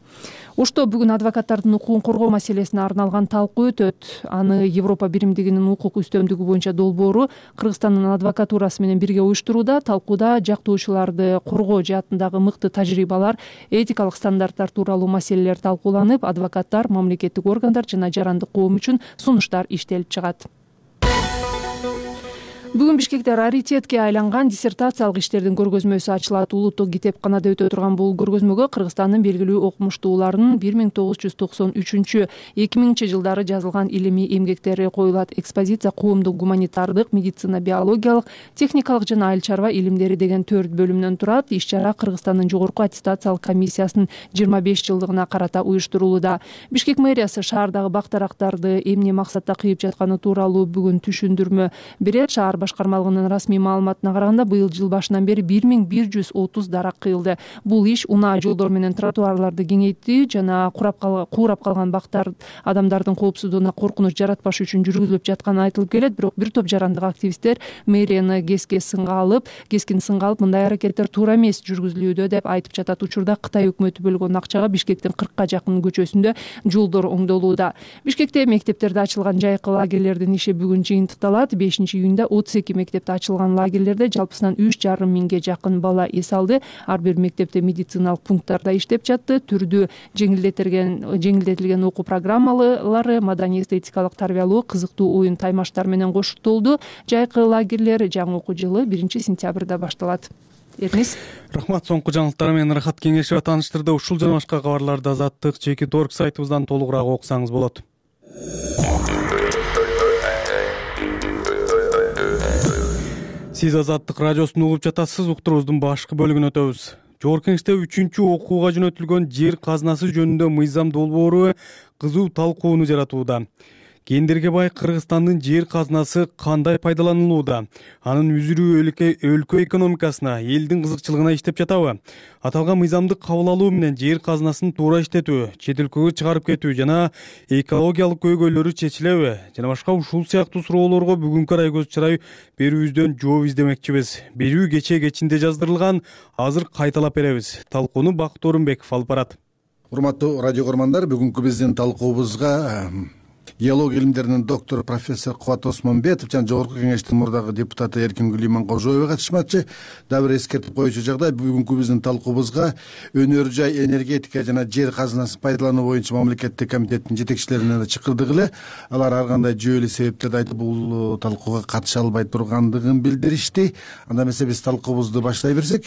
Ошто бүгүн адвокаттардын укугун коргоо маселесине арналган талкуу өтөт. Аны Европа биримдигинин укук үстөмдүгү боюнча долбоору Кыргызстандын адвокатурасы менен бирге уюштурууда. Талкууда жактоочуларды коргоо жаатындагы мыкты тажрыйбалар, этикалык стандарттар тууралуу маселелер талкууланып, адвокаттар, мамлекеттик органдар жана жарандык коом үчүн сунуштар иштелип чыгат. Бүгүн Бишкекте раритетке айланган диссертациялык иштердин көргөзмөсү ачылат. Улуттук китепканада өтө турган бул көргөзмөгө Кыргызстандын белгилүү окумуштууларынын бир миң тогуз жүз токсон үчүнчү эки миңинчи жылдары жазылган илимий эмгектери коюлат. Экспозиция коомдук, гуманитардык, медицина, биологиялык, техникалык жана айыл чарба илимдери деген төрт бөлүмдөн турат. Иш-чара Кыргызстандын жогорку аттестациялык комиссиясынын жыйырма беш жылдыгына карата уюштурулууда. Бишкек мэриясы шаардагы бак-дарактарды эмне максатта кыйып жатканы тууралуу бүгүн түшүндүрмө берет. Шаар башкармалыгынын расмий маалыматына караганда, быйыл жыл башынан бери бир миң бир жүз отуз дарак кыйылды. Бул иш унаа жолдор менен тротуарларды кеңейтүү жана куурап калган бактар адамдардын коопсуздугуна коркунуч жаратпаш үчүн жүргүзүлүп жатканы айтылып келет. Бирок бир топ жарандык активисттер мэрияны кеске сынга алып, кескин сынга алып, мындай аракеттер туура эмес жүргүзүлүүдө деп айтып жатат. Учурда Кытай өкмөтү бөлгөн акчага Бишкектин кыркка жакын көчөсүндө жолдор оңдолууда. Бишкекте мектептерде ачылган жайкы лагерлердин иши бүгүн жыйынтыкталат. бешинчи июнда отуз эки мектепте ачылган лагерлерде жалпысынан үч жарым миңге жакын бала эс алды. Ар бир мектепте медициналык пункттарда иштеп жатты. Түрдүү жеңилдетилген жеңилдетилген окуу программалары, маданий эстетикалык тарбиялоо, кызыктуу оюн таймаштар менен коштолду. Жайкы лагерлер жаңы окуу жылы биринчи сентябрда башталат. Эрнис. Рахмат, соңку жаңылыктар менен Рахат Кеңешова тааныштырды. Ушул жана башка кабарларды Азаттык чеки точка орг сайтыбыздан толугураак окусаңыз болот. Сиз Азаттык радиосун угуп жатасыз. Уктуруубуздун башкы бөлүгүнө өтөбүз. Жогорку Кеңеште үчүнчү окууга жөнөтүлгөн жер казынасы жөнүндө мыйзам долбоору кызуу талкууну жаратууда. Кендерге бай Кыргызстандын жер казынасы кандай пайдаланылууда? Анын үзүрүү өлкө экономикасына, элдин кызыкчылыгына иштеп жатабы? Аталган мыйзамды кабыл алуу менен жер казынасын туура иштетүү, чет өлкөгө чыгарып кетүү жана экологиялык көйгөйлөрү чечилеби? Жана башка ушул сыяктуу суроолорго бүгүнкү арай көз чарай берүүбүздөн жооп издемекчибиз. Берүү кечээ кечинде жаздырылган, азыр кайталап беребиз. Талкууну Бакыт Орунбеков алып барат. Урматтуу радио көрөрмандар, бүгүнкү биздин талкуубузга геология илимдеринин доктору профессор Кубат Осмонбетов жана Жогорку Кеңештин мурдагы депутаты Эркингүл Иманкожоева катышмакчы. Дагы бир эскертип коюучу жагдай, бүгүнкү биздин талкуубузга өнөр жай, энергетика жана жер казынасын пайдалануу боюнча мамлекеттик комитеттин жетекчилерин да чакырдык эле. Алар ар кандай жүйөлүү себептерди айтып бул талкууга катыша албай тургандыгын билдиришти. Анда эмесе биз талкуубузду башлай берсек.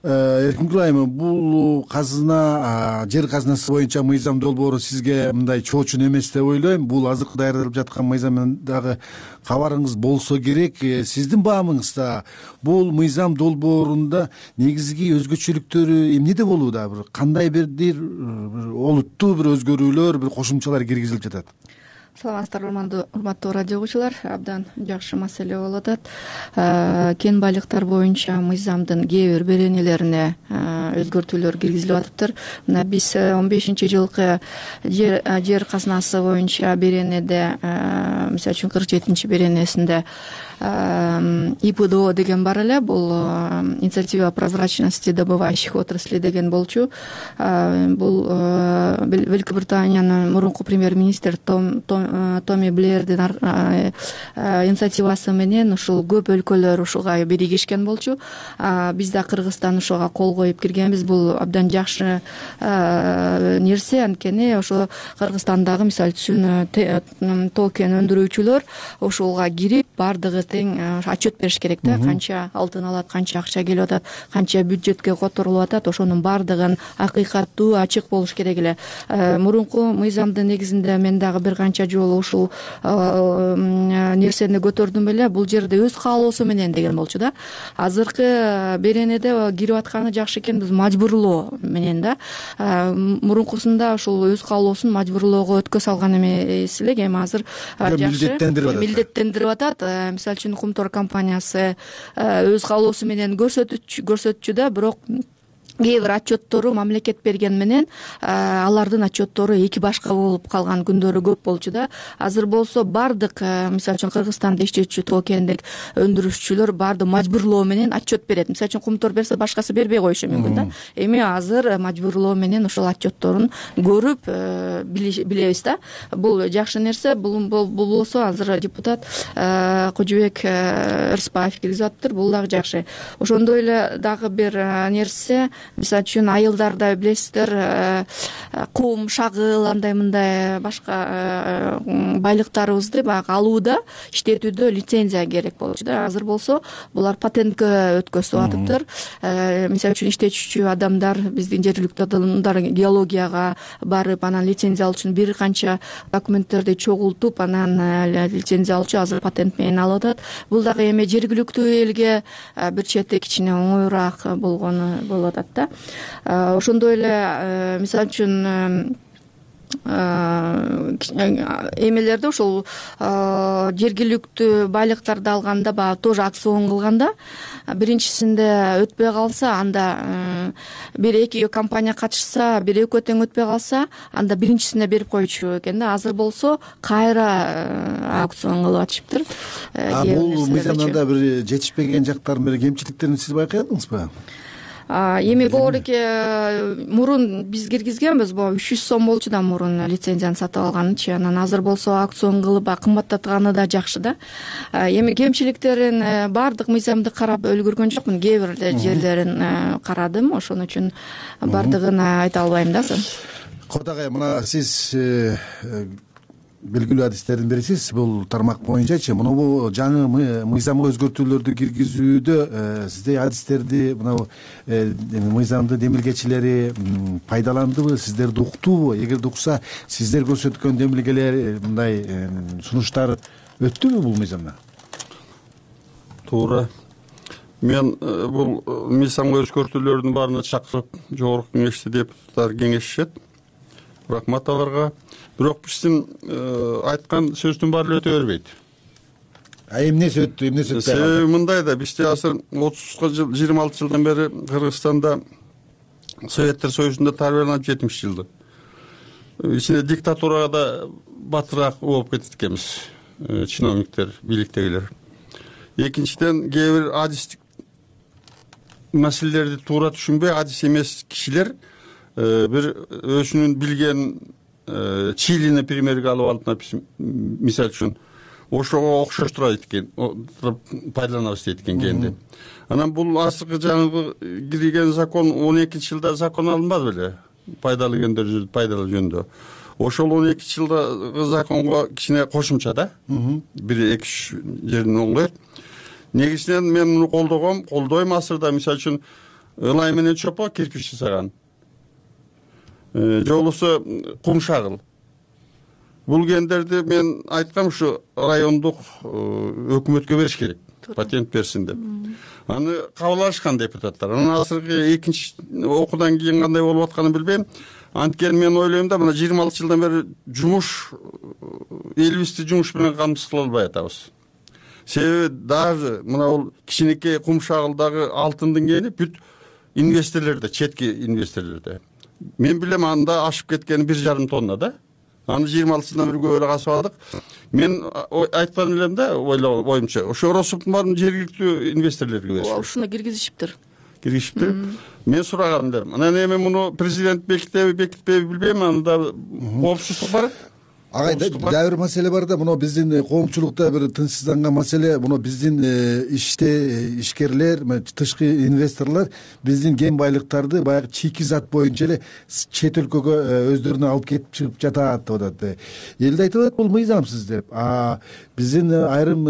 Эркингүл айым, бул казына, жер казынасы боюнча мыйзам долбоору сизге мындай чоочун эмес деп ойлойм. Бул азыркы даярдалып жаткан мыйзамдан дагы кабарыңыз болсо керек. Сиздин баамыңызда бул мыйзам долбоорунда негизги өзгөчөлүктөрү эмнеде болууда? Бир кандай бир олуттуу бир өзгөрүүлөр, бир кошумчалар киргизилип жатат? Саламатсыздарбы, урматтуу радио угуучулар. Абдан жакшы маселе болуп атат. Кен байлыктар боюнча мыйзамдын кээ бир беренелерине өзгөртүүлөр киргизилип атыптыр. Мына биз он бешинчи жылкы жер казынасы боюнча беренеде, мисалы үчүн кырк жетинчи беренесинде и пэ дэ о деген бар эле. Бул инициатива прозрачности добывающих отраслей деген болчу. Бул Великобританиянын мурунку премьер-министри Томи Блэрдин инициативасы менен ушул көп өлкөлөр ушуга биригишкен болчу. Биз да Кыргызстан ушуга кол коюп киргенбиз. Бул абдан жакшы нерсе, анткени ошо Кыргызстандагы мисалы үчүн тоо кен өндүрүүчүлөр ушуга кирип бардыгы тең отчет бериш керек да, канча алтын алат, канча акча келип атат, канча бюджетке которулуп атат, ошонун бардыгын акыйкаттуу, ачык болуш керек эле. Мурунку мыйзамдын негизинде мен дагы бир канча жолу ушул нерсени көтөрдүм эле. Бул жерде өз каалоосу менен деген болчу да. Азыркы беренеде кирип атканы жакшы экен, биз мажбурлоо менен да. Мурункусунда ушул өз каалоосун мажбурлоого өткө салган эмес элек, эми азыр жакшы милдеттендирип атат. Мисалы үчүн Кумтор компаниясы өз каалоосу менен көрсөтчү да, бирок кээ бир отчеттору мамлекет берген менен алардын отчеттору эки башка болуп калган күндөрү көп болчу да. Азыр болсо бардык, мисалы үчүн Кыргызстанда иштечү тоо кендик өндүрүшчүлөр барды мажбурлоо менен отчет берет. Мисалы үчүн Кумтор берсе, башкасы бербей коюшу мүмкүн да. Эми азыр мажбурлоо менен ушул отчетторун көрүп билебиз да. Бул жакшы нерсе. Бул болсо азыр депутат Кожобек Эрсбаев киргизип атыптыр. Бул дагы жакшы. Ошондой эле дагы бир нерсе, мисалы үчүн айылдарда билесиздер, кум, шагыл, андай мындай башка байлыктарыбызды баягы алууда, иштетүүдө лицензия керек болчу да. Азыр болсо булар патентке өткөзүп атыптыр. Мисалы үчүн иштечүүчү адамдар, биздин жергиликтүү адамдар геологияга барып, анан лицензия алуу үчүн бир канча документтерди чогултуп, анан лицензия алчу, азыр патент менен алып атат. Бул дагы эми жергиликтүү элге бир чети кичине оңоюраак болгону болуп атат да. Ошондой эле мисалы үчүн эмелерде ушул жергиликтүү байлыктарды алганда баягы тоже акцион кылганда, биринчисинде өтпөй калса, анда бир эки компания катышса, бир экөө тең өтпөй калса, анда биринчисине берип койчу экен да. Азыр болсо кайра аукцион кылып атышыптыр. Бул мыйзамда бир жетишпеген жактардын бир кемчиликтерин сиз байкадыңызбы? Эми болоруке мурун биз киргизгенбиз, бул үч жүз сом болчу да мурун лицензияны сатып алганычы. Анан азыр болсо аукцион кылып кымбаттатканы да жакшы да. Эми кемчиликтерин бардык мыйзамды карап өлгүргөн жокмун, кээ бир жерлерин карадым, ошон үчүн бардыгын айта албайм да. Кубат агай, мына сиз белгилүү адистердин бирисиз. Бул тармак боюнчачы мына жаңы мыйзамга өзгөртүүлөрдү киргизүүдө сиздей адистерди, мына мыйзамды демилгечилери пайдаландыбы, сиздерди уктубу? Эгерде укса, сиздер көрсөткөн демилгелер, мындай сунуштар өттүбү бул мыйзамда? Туура. мен бул мыйзамга өзгөртүүлөрдүн баарына чакырып жогорку кеңеште депутаттар кеңешишет. Рахмат аларга. Бирок биздин айткан сөздүн баары өтө бербейт. А эмнеси өттү, эмнеси өтпөй калды? Себеби мындай да, бизде азыр отузга жыл, жыйырма алты жылдан бери Кыргызстанда Советтер Союзунда тарбияланып жетимиш жылды. Ичинде диктатурага да батыраак болуп кетет экенбиз, чиновниктер, бийликтегилер. Экинчиден, кээ бир адистик маселелерди туура түшүнбөй, адис эмес кишилер бир өзүнүн билген Чилини примерге алып алып, мисалы үчүн ошого окшоштурат экен, пайдаланабыз дейт экен кенде. Анан бул азыркы жаңы кирген закон он экинчи жылда закон алынбады беле, пайдалуу кендер пайдалуу жөнүндө. Ошол он экинчи жылдагы законго кичине кошумча да, бир эки үч жерден оңдойт. Негизинен мен муну колдогом, колдойм азырда, мисалы үчүн ылай менен чопо кирпич жасаган. Же болбосо кум шагыл. Бул кендерди мен айткам, ушу райондук өкмөткө бериш керек, патент берсин деп. Аны кабыл алышкан депутаттар. Анан азыркы экинчи окуудан кийин кандай болуп атканын билбейм. Анткени мен ойлойм да, мына жыйырма алты жылдан бери жумуш, элибизди жумуш менен камсыз кыла албай атабыз. Себеби даже мына бул кичинекей кум шагылдагы алтындын кени бүт инвесторлордо, четки инвесторлордо. Мен билем анда ашып кеткени бир жарым тонна да. Аны жыйырма алты жылдан бери көп эле касып алдык. Мен айткан элем да, оюмча, ошо Росоптун баарын жергиликтүү инвесторлорго беришет. Ушуну киргизишиптир. Киргизишиптир. Мен сураган элем. Анан эми муну президент бекитеби, бекитпейби билбейм, анда коопсуздук бар. Агай, дагы бир маселе бар да, муну биздин коомчулукта бир тынчсызданган маселе, муну биздин иште ишкерлер, тышкы инвесторлор биздин кен байлыктарды баягы чийки зат боюнча эле чет өлкөгө өздөрүнө алып кетип чыгып жатат деп атат. Элде айтып атат, бул мыйзамсыз деп. А биздин айрым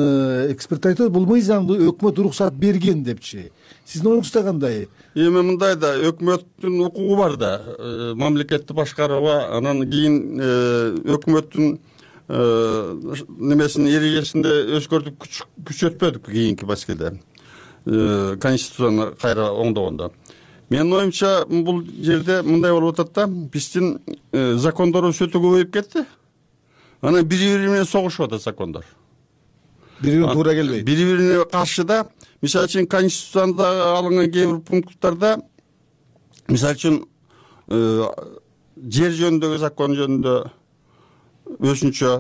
эксперт айтат, бул мыйзамды өкмөт уруксат берген депчи. Сиздин оюңузда кандай? Эми мындай да, өкмөттүн укугу бар да, мамлекетти башкарууга, анан кийин өкмөттүн немесин эрежесинде өзгөртүп күчөтпөдүк кийинки маселеде, конституцияны кайра оңдогондо. Менин оюмча бул жерде мындай болуп атат да, биздин закондорубуз өтө көбөйүп кетти. Анан бири-бири менен согушуп атат закондор. Бири-бирине туура келбейт. Бири-бирине каршы да. Мисалы үчүн конституцияда алынган кээ бир пункттарда, мисалы үчүн жер жөнүндөгү закон жөнүндө өзүнчө,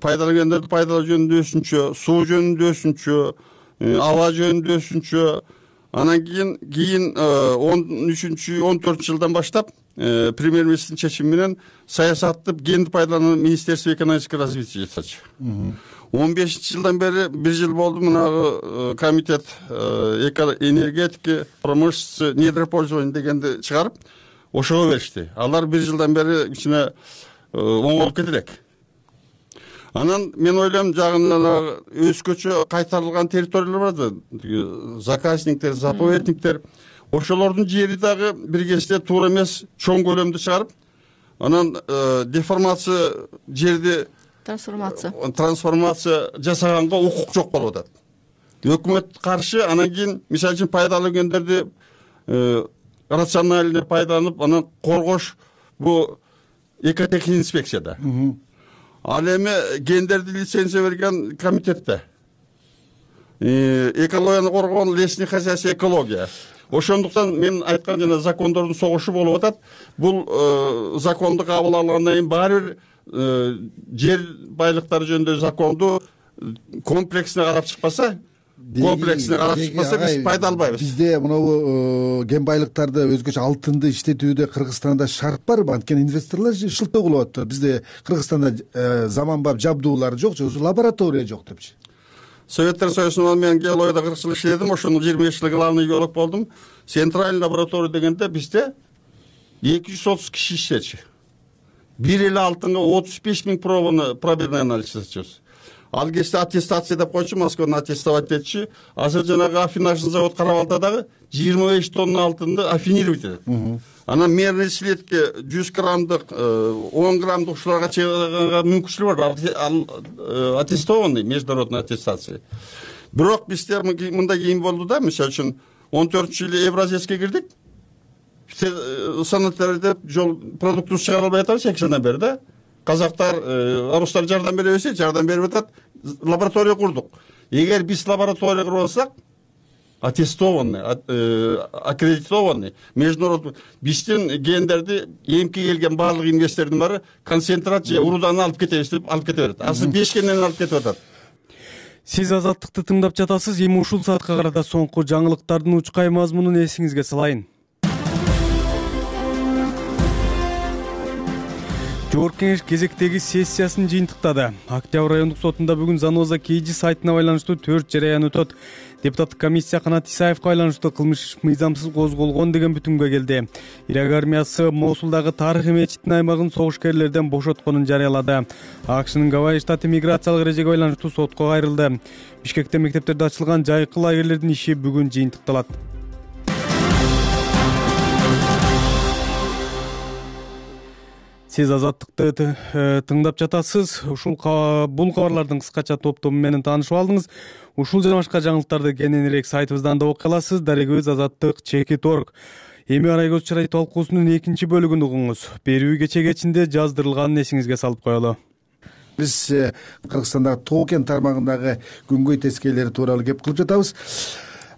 пайдалуу кендерди пайдалоо жөнүндө өзүнчө, суу жөнүндө өзүнчө, аба жөнүндө өзүнчө. Анан кийин кийин он үчүнчү он төртүнчү жылдан баштап премьер-министрдин чечими менен саясатты кенди пайдалануу Министерство экономического развития жасачу. он бешинчи жылдан бери бир жыл болду, мына комитет энергетики, промышленности, недропользования дегенди чыгарып, ошого беришти. Алар бир жылдан бери кичине оңолуп кетелек. Анан мен ойлойм, жагынан өзгөчө кайтарылган территориялар бар да, заказниктер, заповедниктер, ошолордун жери дагы бир кезде туура эмес чоң көлөмдө чыгарып, анан деформация жерди трансформация трансформация жасаганга укук жок болуп атат. Өкмөт каршы, анан кийин мисалы үчүн пайдалуу кендерди рационально пайдаланып, анан коргош бу экотехник инспекцияда. Ал эми кендерди лицензия берген комитетте. Экологияны коргоон лесный хозяйство экология. Ошондуктан мен айткан жана закондордун согушу болуп атат. Бул законду кабыл алгандан кийин баары бир жер байлыктары жөнүндө законду комплексине карап чыкпаса, комплексине карап чыкпаса биз пайда албайбыз. Бизде мынабу кен байлыктарды, өзгөчө алтынды иштетүүдө Кыргызстанда шарт барбы? Анткени инвесторлор шылтоо кылып атат. Бизде Кыргызстанда заманбап жабдуулар жокчу, лаборатория жок депчи. Советтер Союзунан мен геологияда кырк жыл иштедим, ошону жыйырма беш жыл главный геолог болдум. Центральный лаборатория дегенде бизде эки жүз отуз киши иштечү. Бир эле алтынга отуз беш миң пробаны пробирный анализ жасачубуз. Ал кезде аттестация деп койчу, Москваны аттестовать этчү. Азыр жанагы афинажный завод Карабалтадагы жыйырма беш тонна алтынды афинировать этет. Анан мерный следке жүз граммдык, он граммдык ушуларга чыгарганга мүмкүнчүлүгү бар. Ал аттестованный, международный аттестация. бирок бизде мындай кийин болду да, мисалы үчүн он төртүнчү жылы Евразияске кирдик. Санаторий деп жол продуктубузду чыгара албай атабыз эки жылдан бери да. Казактар, орустар жардам бере берсе, жардам берип атат. Лаборатория курдук. Эгер биз лаборатория куруп алсак, аттестованный, аккредитованный, международный биздин гендерди эмки келген баардык инвестордун баары концентрат же урудан алып кетебиз деп алып кете берет. Азыр беш генден алып кетип атат. Сиз Азаттыкты тыңдап жатасыз. Эми ушул саатка карата соңку жаңылыктардын учкай мазмунун эсиңизге салайын. Жогорку Кеңеш кезектеги сессиясын жыйынтыктады. Октябрь райондук сотунда бүгүн Заноза Кейжи сайтына байланыштуу төрт жараян өтөт. Депутаттык комиссия Канат Исаевка байланыштуу кылмыш мыйзамсыз козголгон деген бүтүмгө келди. Ирак армиясы Мосулдагы тарыхый мечиттин аймагын согушкерлерден бошотконун жарыялады. АКШнын Гавайи штаты миграциялык эрежеге байланыштуу сотко кайрылды. Бишкекте мектептерде ачылган жайкы лагерлердин иши бүгүн жыйынтыкталат. Сиз Азаттыкты тыңдап жатасыз. Ушул бул кабарлардын кыскача топтому менен таанышып алдыңыз. Ушул жана башка жаңылыктарды кененирээк сайтыбыздан да окуй аласыз. Дарегибиз Азаттык чекит орг. Эми арай көз чырай талкуусунун экинчи бөлүгүн угуңуз. Берүү кече кечинде жаздырылганын эсиңизге салып коелу. Биз Кыргызстандагы Тоо кен тармагындагы күнгөй тескейлери тууралуу кеп кылып жатабыз.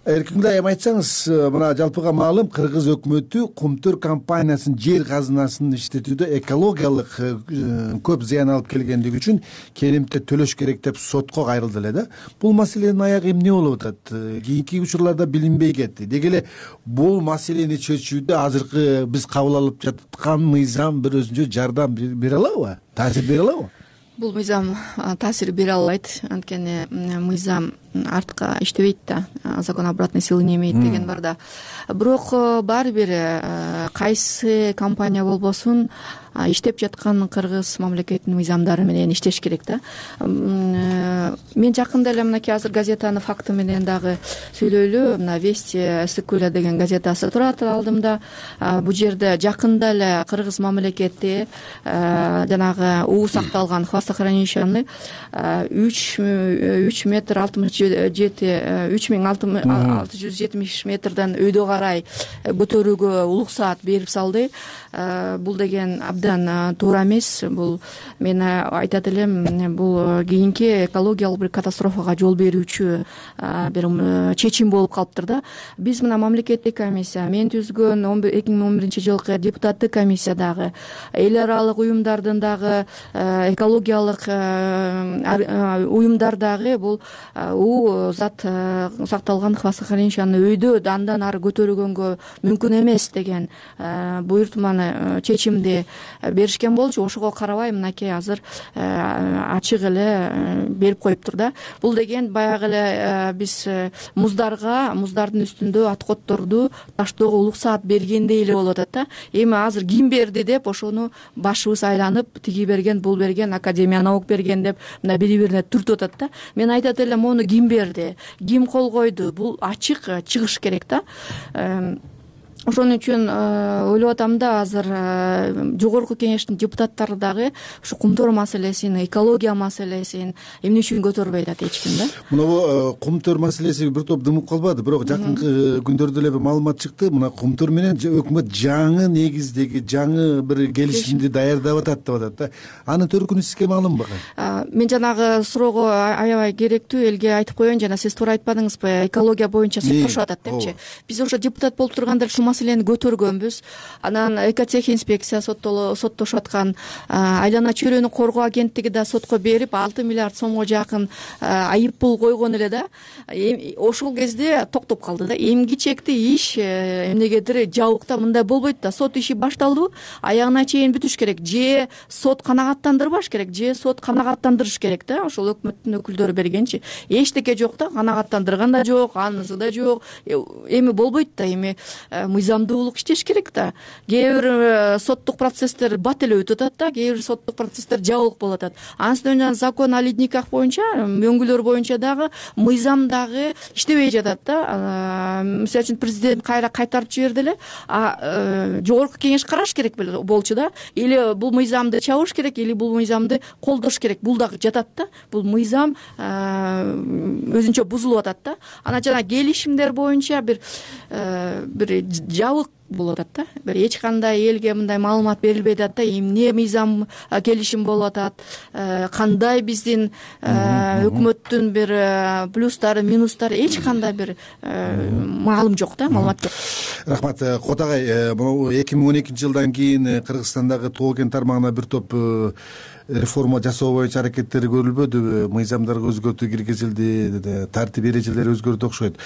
Эркиңдей эми айтсаңыз, мына жалпыга маалым, Кыргыз өкмөтү Кумтөр компаниясынын жер казынасын иштетүүдө экологиялык көп зыян алып келгендиги үчүн керемте төлөш керек деп сотко кайрылды эле да. Бул маселенин аягы эмне болуп атат? Кийинки учурларда билинбей кетти. Деги эле бул маселени чечүүдө азыркы биз кабыл алып жаткан мыйзам бир өзүнчө жардам бере алабы? Таасир бере алабы? Бул мыйзам таасир бере албайт, анткени мыйзам артка иштебейт да, закон обратной силы не имеет деген бар да. Бирок баары бир кайсы компания болбосун иштеп жаткан Кыргыз мамлекетинин мыйзамдары менен иштеш керек да. Мен жакында эле мынакей азыр газетаны факты менен дагы сүйлөйлү. Мына Вести Сыкуля деген газетасы турат алдымда. Бул жерде жакында эле Кыргыз мамлекети жанагы уу сакталган хвостохранилищаны үч метр алтымыш жети үч миң алты жүз жетимиш метрден өйдө карай көтөрүүгө улуксаат берип салды. Бул деген абдан туура эмес. Бул мен айтат элем, бул кийинки экологиялык бир катастрофага жол берүүчү бир чечим болуп калыптыр да. Биз мына мамлекеттик комиссия, мен түзгөн эки миң он биринчи жылкы депутаттык комиссия дагы, эл аралык уюмдардын дагы, экологиялык уюмдар дагы бул уу зат сакталган хвостохранилищаны өйдө андан ары көтөргөнгө мүмкүн эмес деген буйртманы чечимди беришкен болчу. Ошого карабай мынакей азыр ачык эле берип коюптур да. Бул деген баягы эле биз муздарга, муздардын үстүндө аткотторду таштоого улуксаат бергендей эле болуп атат да. Эми азыр ким берди деп ошону башыбыз айланып, тиги берген, бул берген, Академия наук берген деп мына бири-бирине түртүп атат да. Мен айтат элем, мону ким берди, ким кол койду, бул ачык чыгыш керек да. Ошон үчүн ойлоп атам да, азыр жогорку кеңештин депутаттары дагы ушу Кумтөр маселесин, экология маселесин эмне үчүн көтөрбөй атат эч ким да. Мына Кумтөр маселеси бир топ дымып калбады, бирок жакынкы күндөрдө эле бир маалымат чыкты. Мына Кумтөр менен өкмөт жаңы негиздеги жаңы бир келишимди даярдап атат деп атат да. Анын төркүнү сизге маалымбы? Мен жанагы суроого аябай керектүү элге айтып коеюн, жана сиз туура айтпадыңызбы, экология боюнча соттошуп атат депчи. Биз ошо депутат болуп турганда ушул маселени көтөргөнбүз. Анан экотех инспекция соттошуп аткан, айлана чөйрөнү коргоо агенттиги да сотко берип алты миллиард сомго жакын айып пул койгон эле да. Ошол кезде токтоп калды да. Эмки чекти иш эмнегедир жабыкта мындай болбойт да. Сот иши башталды, аягына чейин бүтүш керек. Же сот канагаттандырбаш керек, же сот канагаттандырыш керек да. Ошол өкмөттүн өкүлдөрү бергенчи эчтеке жок да, канагаттандырган да жок, анысы да жок. Эми болбойт да, эми мыйзамдуулук иштеш керек да. Кээ бир соттук процесстер бат эле өтүп атат да, кээ бир соттук процесстер жабык болуп атат. Анын үстүнө закон о литниках боюнча, мөңгүлөр боюнча дагы мыйзам дагы иштебей жатат да. Мисалы үчүн президент кайра кайтарып жиберди эле, а жогорку кеңеш караш керек болчу да. Или бул мыйзамды чабыш керек, или бул мыйзамды колдош керек. Бул дагы жатат да. Бул мыйзам өзүнчө бузулуп атат да. Анан жана келишимдер боюнча бир бир жабык болуп атат да. Бир эч кандай элге мындай маалымат берилбей атат да. Эмне мыйзам келишим болуп атат, кандай биздин өкмөттүн бир плюстары, минустары, эч кандай бир маалым жок да, маалымат жок. Рахмат. Кот агай, могу эки миң он экинчи жылдан кийин Кыргызстандагы тоо кен тармагына бир топ реформа жасоо боюнча аракеттер көрүлбөдүбү? Мыйзамдарга өзгөртүү киргизилди, тартип эрежелер өзгөрдү окшойт.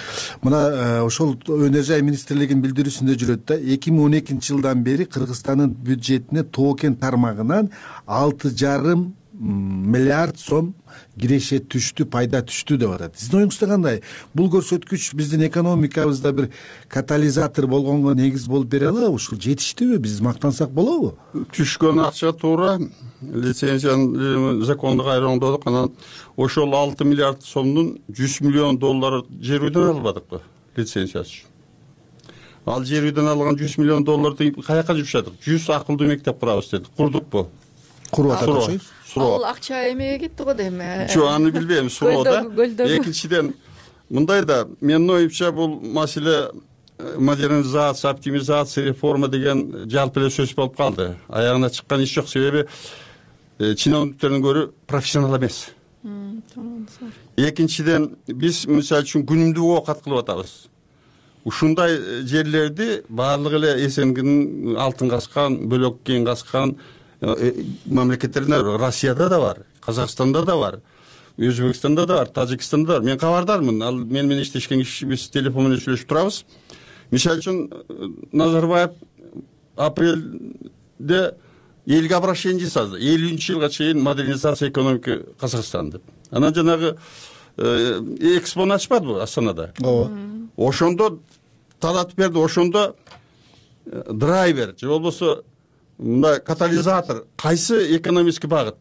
Мына ошол өнөр жай министрлигинин билдирүүсүндө жүрөт да, эки миң он экинчи жылдан бери Кыргызстандын бюджетине тоо кен тармагынан алты жарым миллиард сом киреше түштү, пайда түштү деп атат. Сиздин оюңузда кандай? Бул көрсөткүч биздин экономикабызда бир катализатор болгонго негиз болуп бере алабы? Ушул жетиштүүбү? Биз мактансак болобу? Түшкөн акча туура, лицензиянын закондук айраңдадык. Анан ошол алты миллиард сомдун жүз миллион доллар жер үйдөн албадыкпы лицензиясы үчүн? Ал жер үйдөн алган жүз миллион долларды каяка жумшадык? жүз акылдуу мектеп курабыз дедик. Курдукпу? Куруп атат окшойт. Ал акча эмеге кетти го дейм. Жок, аны билбейм, суроода. Экинчиден, мындай да, менин оюмча бул маселе модернизация, оптимизация, реформа деген жалпы эле сөз болуп калды. Аягына чыккан иш жок, себеби чиновниктерден көрө профессионал эмес. Экинчиден, биз мисалы үчүн күнүмдүк оокат кылып атабыз. Ушундай жерлерди баардыгы эле эсенгинин алтын каскан, бөлөк кийин каскан мамлекеттерде, Россияда да бар, Казакстанда да бар, Өзбекстанда да бар, Тажикстанда да бар. Мен кабардармын. Ал мен менен иштешкен киши, биз телефон менен сүйлөшүп турабыз. Мисалы үчүн Назарбаев апрелде элге обращение жасады. элүүнчү жылга чейин модернизация экономика Казакстан деп. Анан жанагы экспону ачпадыбы Астанада? Ооба. Ошондо таратып берди, ошондо драйвер же болбосо мындай катализатор кайсы экономический багыт?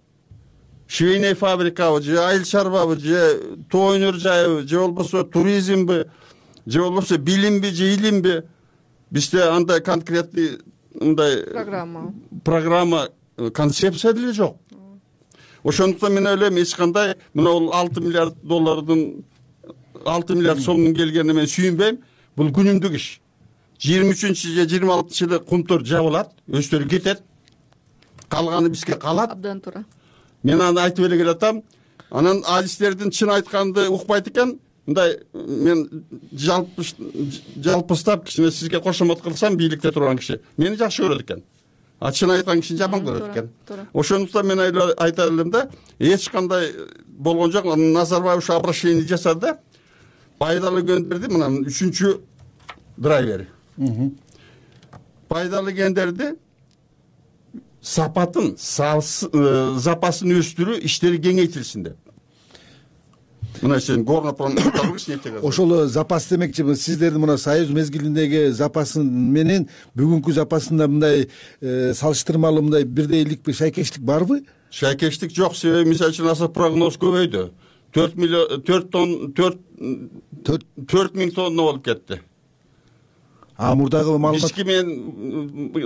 Швейная фабрикабы, же айыл чарбабы, же тоо өнөр жайыбы, же болбосо туризмби, же болбосо билимби, же илимби? Бизде андай конкретный мындай программа, программа, концепция деле жок. Ошондуктан мен ойлойм, эч кандай мына бул алты миллиард доллардын алты миллиард сомдун келгенине мен сүйүнбөйм. Бул күнүмдүк иш. жыйырма үчүнчү же жыйырма алтынчы жылы кумтор жабылат, өздөрү кетет. Калганы бизге калат. Абдан туура. Мен аны айтып эле келатам. Анан адистердин чын айтканды укпайт экен. Мындай мен жалпы жалпыстап кичине сизге кошомот кылсам, бийликте турган киши мени жакшы көрөт экен. А чын айткан кишини жаман көрөт экен. Ошондуктан мен айтар элем да, эч кандай болгон жок. Назарбаев ушу обращение жасады да. Пайдалуу кендерди, мына үчүнчү драйвери. Пайдалуу кендерди сапатын, запасын өстүрүү, иштери кеңейтилсин деп. Мына сен горнопромышленность нефтегаз. Ошол запас демекчи, сиздердин мына союз мезгилиндеги запасын менен бүгүнкү запасында мындай салыштырмалуу мындай бирдейликпи, шайкештик барбы? Шайкештик жок, себеби мисалы үчүн азыр прогноз көбөйдү. төрт миллион төрт тонн төрт миң тонна болуп кетти. А мурдагы маалымат бизки мен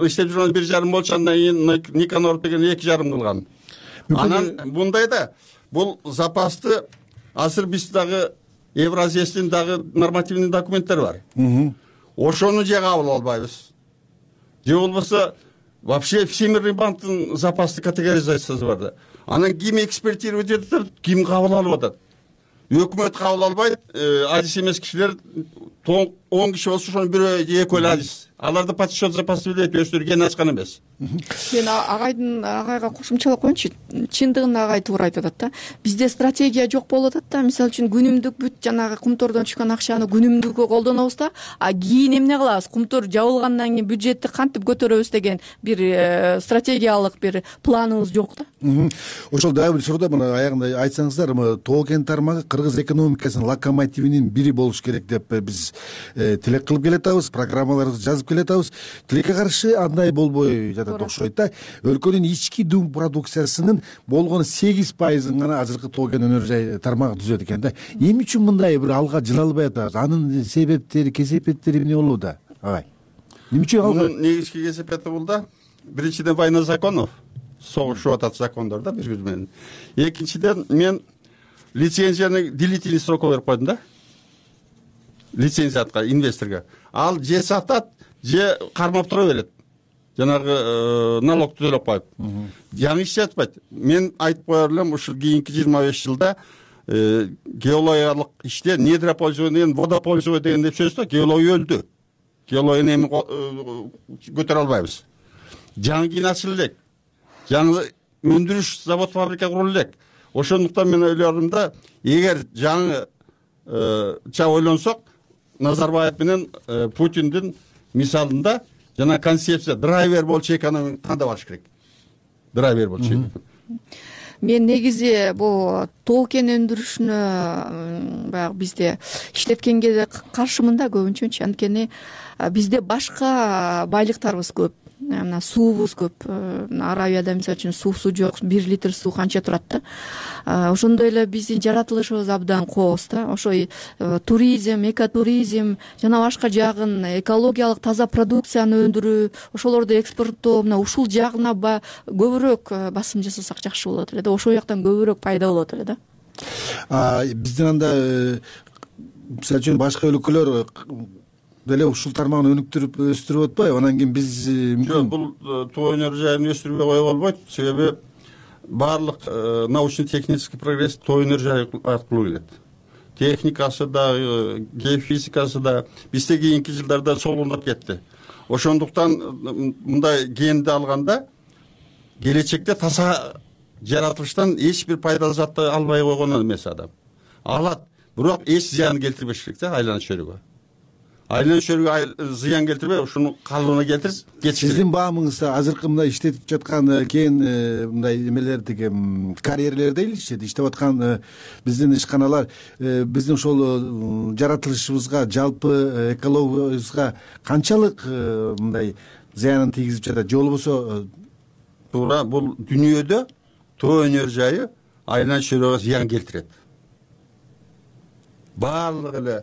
иштеп жүргөн бир жарым болчу, андан кийин Никаноров деген эки жарым кылган. Анан мындай да, бул запасты азыр биз дагы Евразиясынын дагы нормативный документтер бар. Ошону же кабыл албайбыз. Же болбосо вообще Всемирный банктын запасты категоризациясы бар да. Анан ким экспертировать этип атат, ким кабыл алып атат? Өкмөт кабыл албайт, адис эмес кишилер он киши болсо ошонун бирөө эки эле адис. Аларды подсчет запасы билет, өздөрү кен ачкан эмес. Мен агайдын агайга кошумчалап коеюнчу. Чындыгын агай туура айтып атат да. Бизде стратегия жок болуп атат да. Мисалы үчүн күнүмдүк бүт жанагы кумтордон түшкөн акчаны күнүмдүккө колдонобуз да. А кийин эмне кылабыз? Кумтор жабылгандан кийин бюджетти кантип көтөрөбүз деген бир стратегиялык бир планыбыз жок да. Ошол дагы бир суроодо мына аягында айтсаңыздар, тоо кен тармагы кыргыз экономикасынын локомотивинин бири болуш керек деп биз тилек кылып келатабыз, программаларыбызды жазып келатабыз. Тилекке каршы андай болбой жатат окшойт да. Өлкөнүн ички дүң продукциясынын болгону сегиз пайызын гана азыркы тоо кен өнөр жай тармагы түзөт экен да. Эмне үчүн мындай бир алга жыла албай атабыз? Анын себептери, кесепеттери эмне болуп да? Агай. Эмне үчүн алга? Мунун негизги кесепети бул да. Биринчиден война законов, согушуп атат закондор да бири-бири менен. Экинчиден мен лицензияны длительный срок берип койдум да. Лицензиятка, инвесторго. Ал же сатат, же кармап тура берет. Жанагы налог төлөп коюп. Жаңы иш жатпайт. Мен айтып коер элем, ушул кийинки жыйырма беш жылда геологиялык иште недропользование деген, водопользование деген деп сөз да, геология өлдү. Геологияны эми көтөрө албайбыз. Жаңы кийин ачыла элек. Жаңы өндүрүш завод, фабрика курулу элек. Ошондуктан мен ойлорум да, эгер жаңы ча ойлонсок, Назарбаев менен Путиндин мисалында жана концепция драйвер болчу экономиканы тандабаш керек. Драйвер болчу. Мен негизи бул тоо кен өндүрүшүнө баягы бизде иштеткенге да каршымын да көбүнчөчү. Анткени бизде башка байлыктарыбыз көп. Мына суубуз көп. Аравияда мисалы үчүн суусу жок, бир литр суу канча турат да. Ошондой эле биздин жаратылышыбыз абдан кооз да. Ошо туризм, экотуризм жана башка жагын, экологиялык таза продукцияны өндүрүү, ошолорду экспорттоо, мына ушул жагына көбүрөөк басым жасасак жакшы болот эле да. Ошол жактан көбүрөөк пайда болот эле да. Биздин анда мисалы үчүн башка өлкөлөр деле ушул тармагын өнүктүрүп өстүрүп атпайбы? Анан кийин биз мүмкүн бул тоо өнөр жайын өстүрбөй койго болбойт. Себеби баардык научно-технический прогресс тоо өнөр жайы аркылуу келет. Техникасы да, геофизикасы да бизде кийинки жылдарда солундап кетти. Ошондуктан мындай кенди алганда келечекте таза жаратылыштан эч бир пайдалуу затты албай койгон эмес адам. Алат, бирок эч зыян келтирбеш керек да айлана чөйрөгө. Айлана чөйрөгө зыян келтирбей, ушуну калыбына келтирип кетиш. Сиздин баамыңызда азыркы мындай иштетип жаткан кен мындай эмелердиги карьерлер дейли, иштеп аткан биздин ишканалар биздин ошол жаратылышыбызга, жалпы экологиябызга канчалык мындай зыянын тийгизип жатат? Же болбосо туура бул дүйнөдө тоо өнөр жайы айлана чөйрөгө зыян келтирет. Баардык эле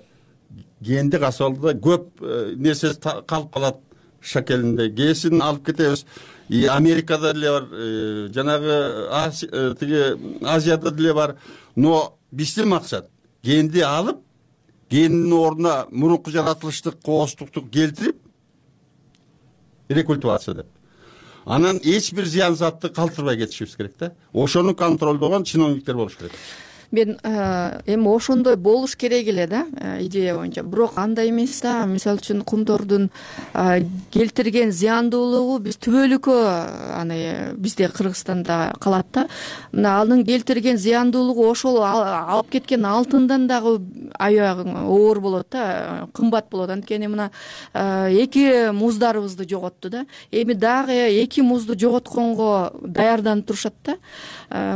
кенди касалда көп нерсе калып калат шакелинде. Кесин алып кетебиз. И Америкада деле бар, жанагы тиги Азияда деле бар. Но биздин максат кенди алып, кендин ордуна мурунку жаратылыштык кооздукту келтирип рекультивация деп. Анан эч бир зыян затты калтырбай кетишибиз керек да. Ошону контролдогон чиновниктер болуш керек. Мен эми ошондой болуш керек эле да, идея боюнча. Бирок андай эмес да. Мисалы үчүн кумдордун келтирген зыяндуулугу биз түбөлүккө аны бизде Кыргызстанда калат да. Мына анын келтирген зыяндуулугу ошол алып кеткен алтындан дагы аябай оор болот да, кымбат болот. Анткени мына эки муздарыбызды жоготту да. Эми дагы эки музду жоготконго даярданып турушат да.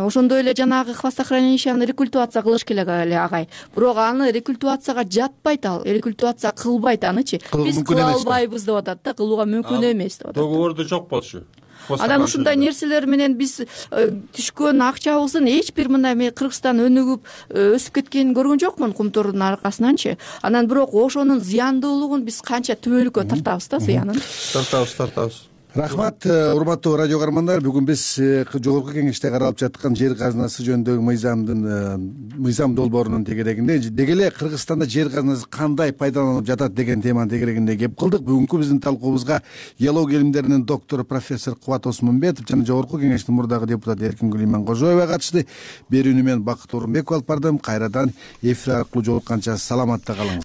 Ошондой эле жанагы хвостохранилищени рекультивация кылыш керек эле агай. Бирок аны рекультивацияга жатпайт, ал рекультивация кылбайт анычы. Биз кыла албайбыз деп атат да, кылууга мүмкүн эмес деп атат. Договордо жок болчу. Анан ушундай нерселер менен биз түшкөн акчабыздын эч бир мындай мен Кыргызстан өнүгүп өсүп кеткенин көргөн жокмун кумтордун аркасынанчы. Анан бирок ошонун зыяндуулугун биз канча түбөлүккө тартабыз да, зыянын. Тартабыз, тартабыз. Рахмат, урматтуу радио көрөрмандар. Бүгүн биз жогорку кеңеште каралып жаткан жер казынасы жөнүндөгү мыйзамдын мыйзам долбоорунун тегерегинде, деги эле Кыргызстанда жер казынасы кандай пайдаланылып жатат деген теманын тегерегинде кеп кылдык. Бүгүнкү биздин талкуубузга геология илимдеринин доктору профессор Кубат Осмонбетов жана жогорку кеңештин мурдагы депутаты Эркингүл Иманкожоева катышты. Берүүнү мен Бакыт Орунбеков алып бардым. Кайрадан эфир аркылуу жолукканча саламатта калыңыз.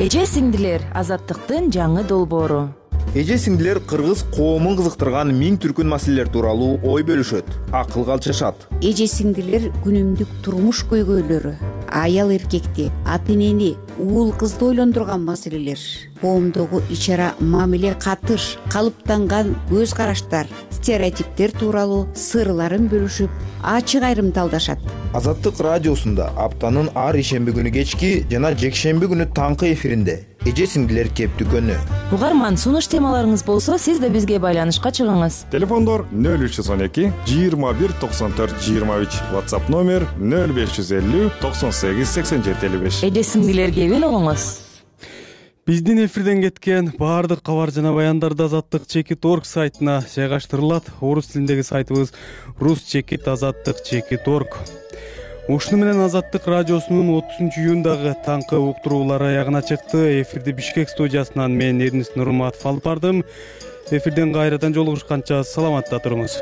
Эже сиңдилер, азаттыктын жаңы долбоору. Эже сиңдилер кыргыз коомун кызыктырган миң түркүн маселелер тууралуу ой бөлүшөт, акылга алчышат. Эже сиңдилер күнүмдүк турмуш көйгөйлөрү, аял эркекти, ата энени, уул кызды ойлондурган маселелер. коомдогу ич ара мамиле катыш, калыптанган көз караштар, стереотиптер тууралуу сырларын бөлүшүп, ачык айрымталдашат. Азаттык радиосунда аптанын ар ишемби күнү кечки жана жекшемби күнү таңкы эфиринде эже сиңдилер кеп дүкөнү. Угарман, сунуш темаларыңыз болсо, сиз да бизге байланышка чыгыңыз. Телефондор нөл үч жүз он эки жыйырма бир токсон төрт жыйырма үч, WhatsApp номер нөл беш жүз элүү токсон сегиз сексен жети элүү беш. Эже сиңдилер кебин угуңуз. Биздин эфирден кеткен баардык кабар жана баяндарды Азаттык чекит орг сайтына жайгаштырылат. Орус тилиндеги сайтыбыз рус чекит азаттык чекит орг. Ушуну менен Азаттык радиосунун отузунчу июндагы таңкы уктуруулары аягына чыкты. Эфирди Бишкек студиясынан мен Эрнис Нурматов алып бардым. Эфирден кайрадан жолугушканча саламатта туруңуз.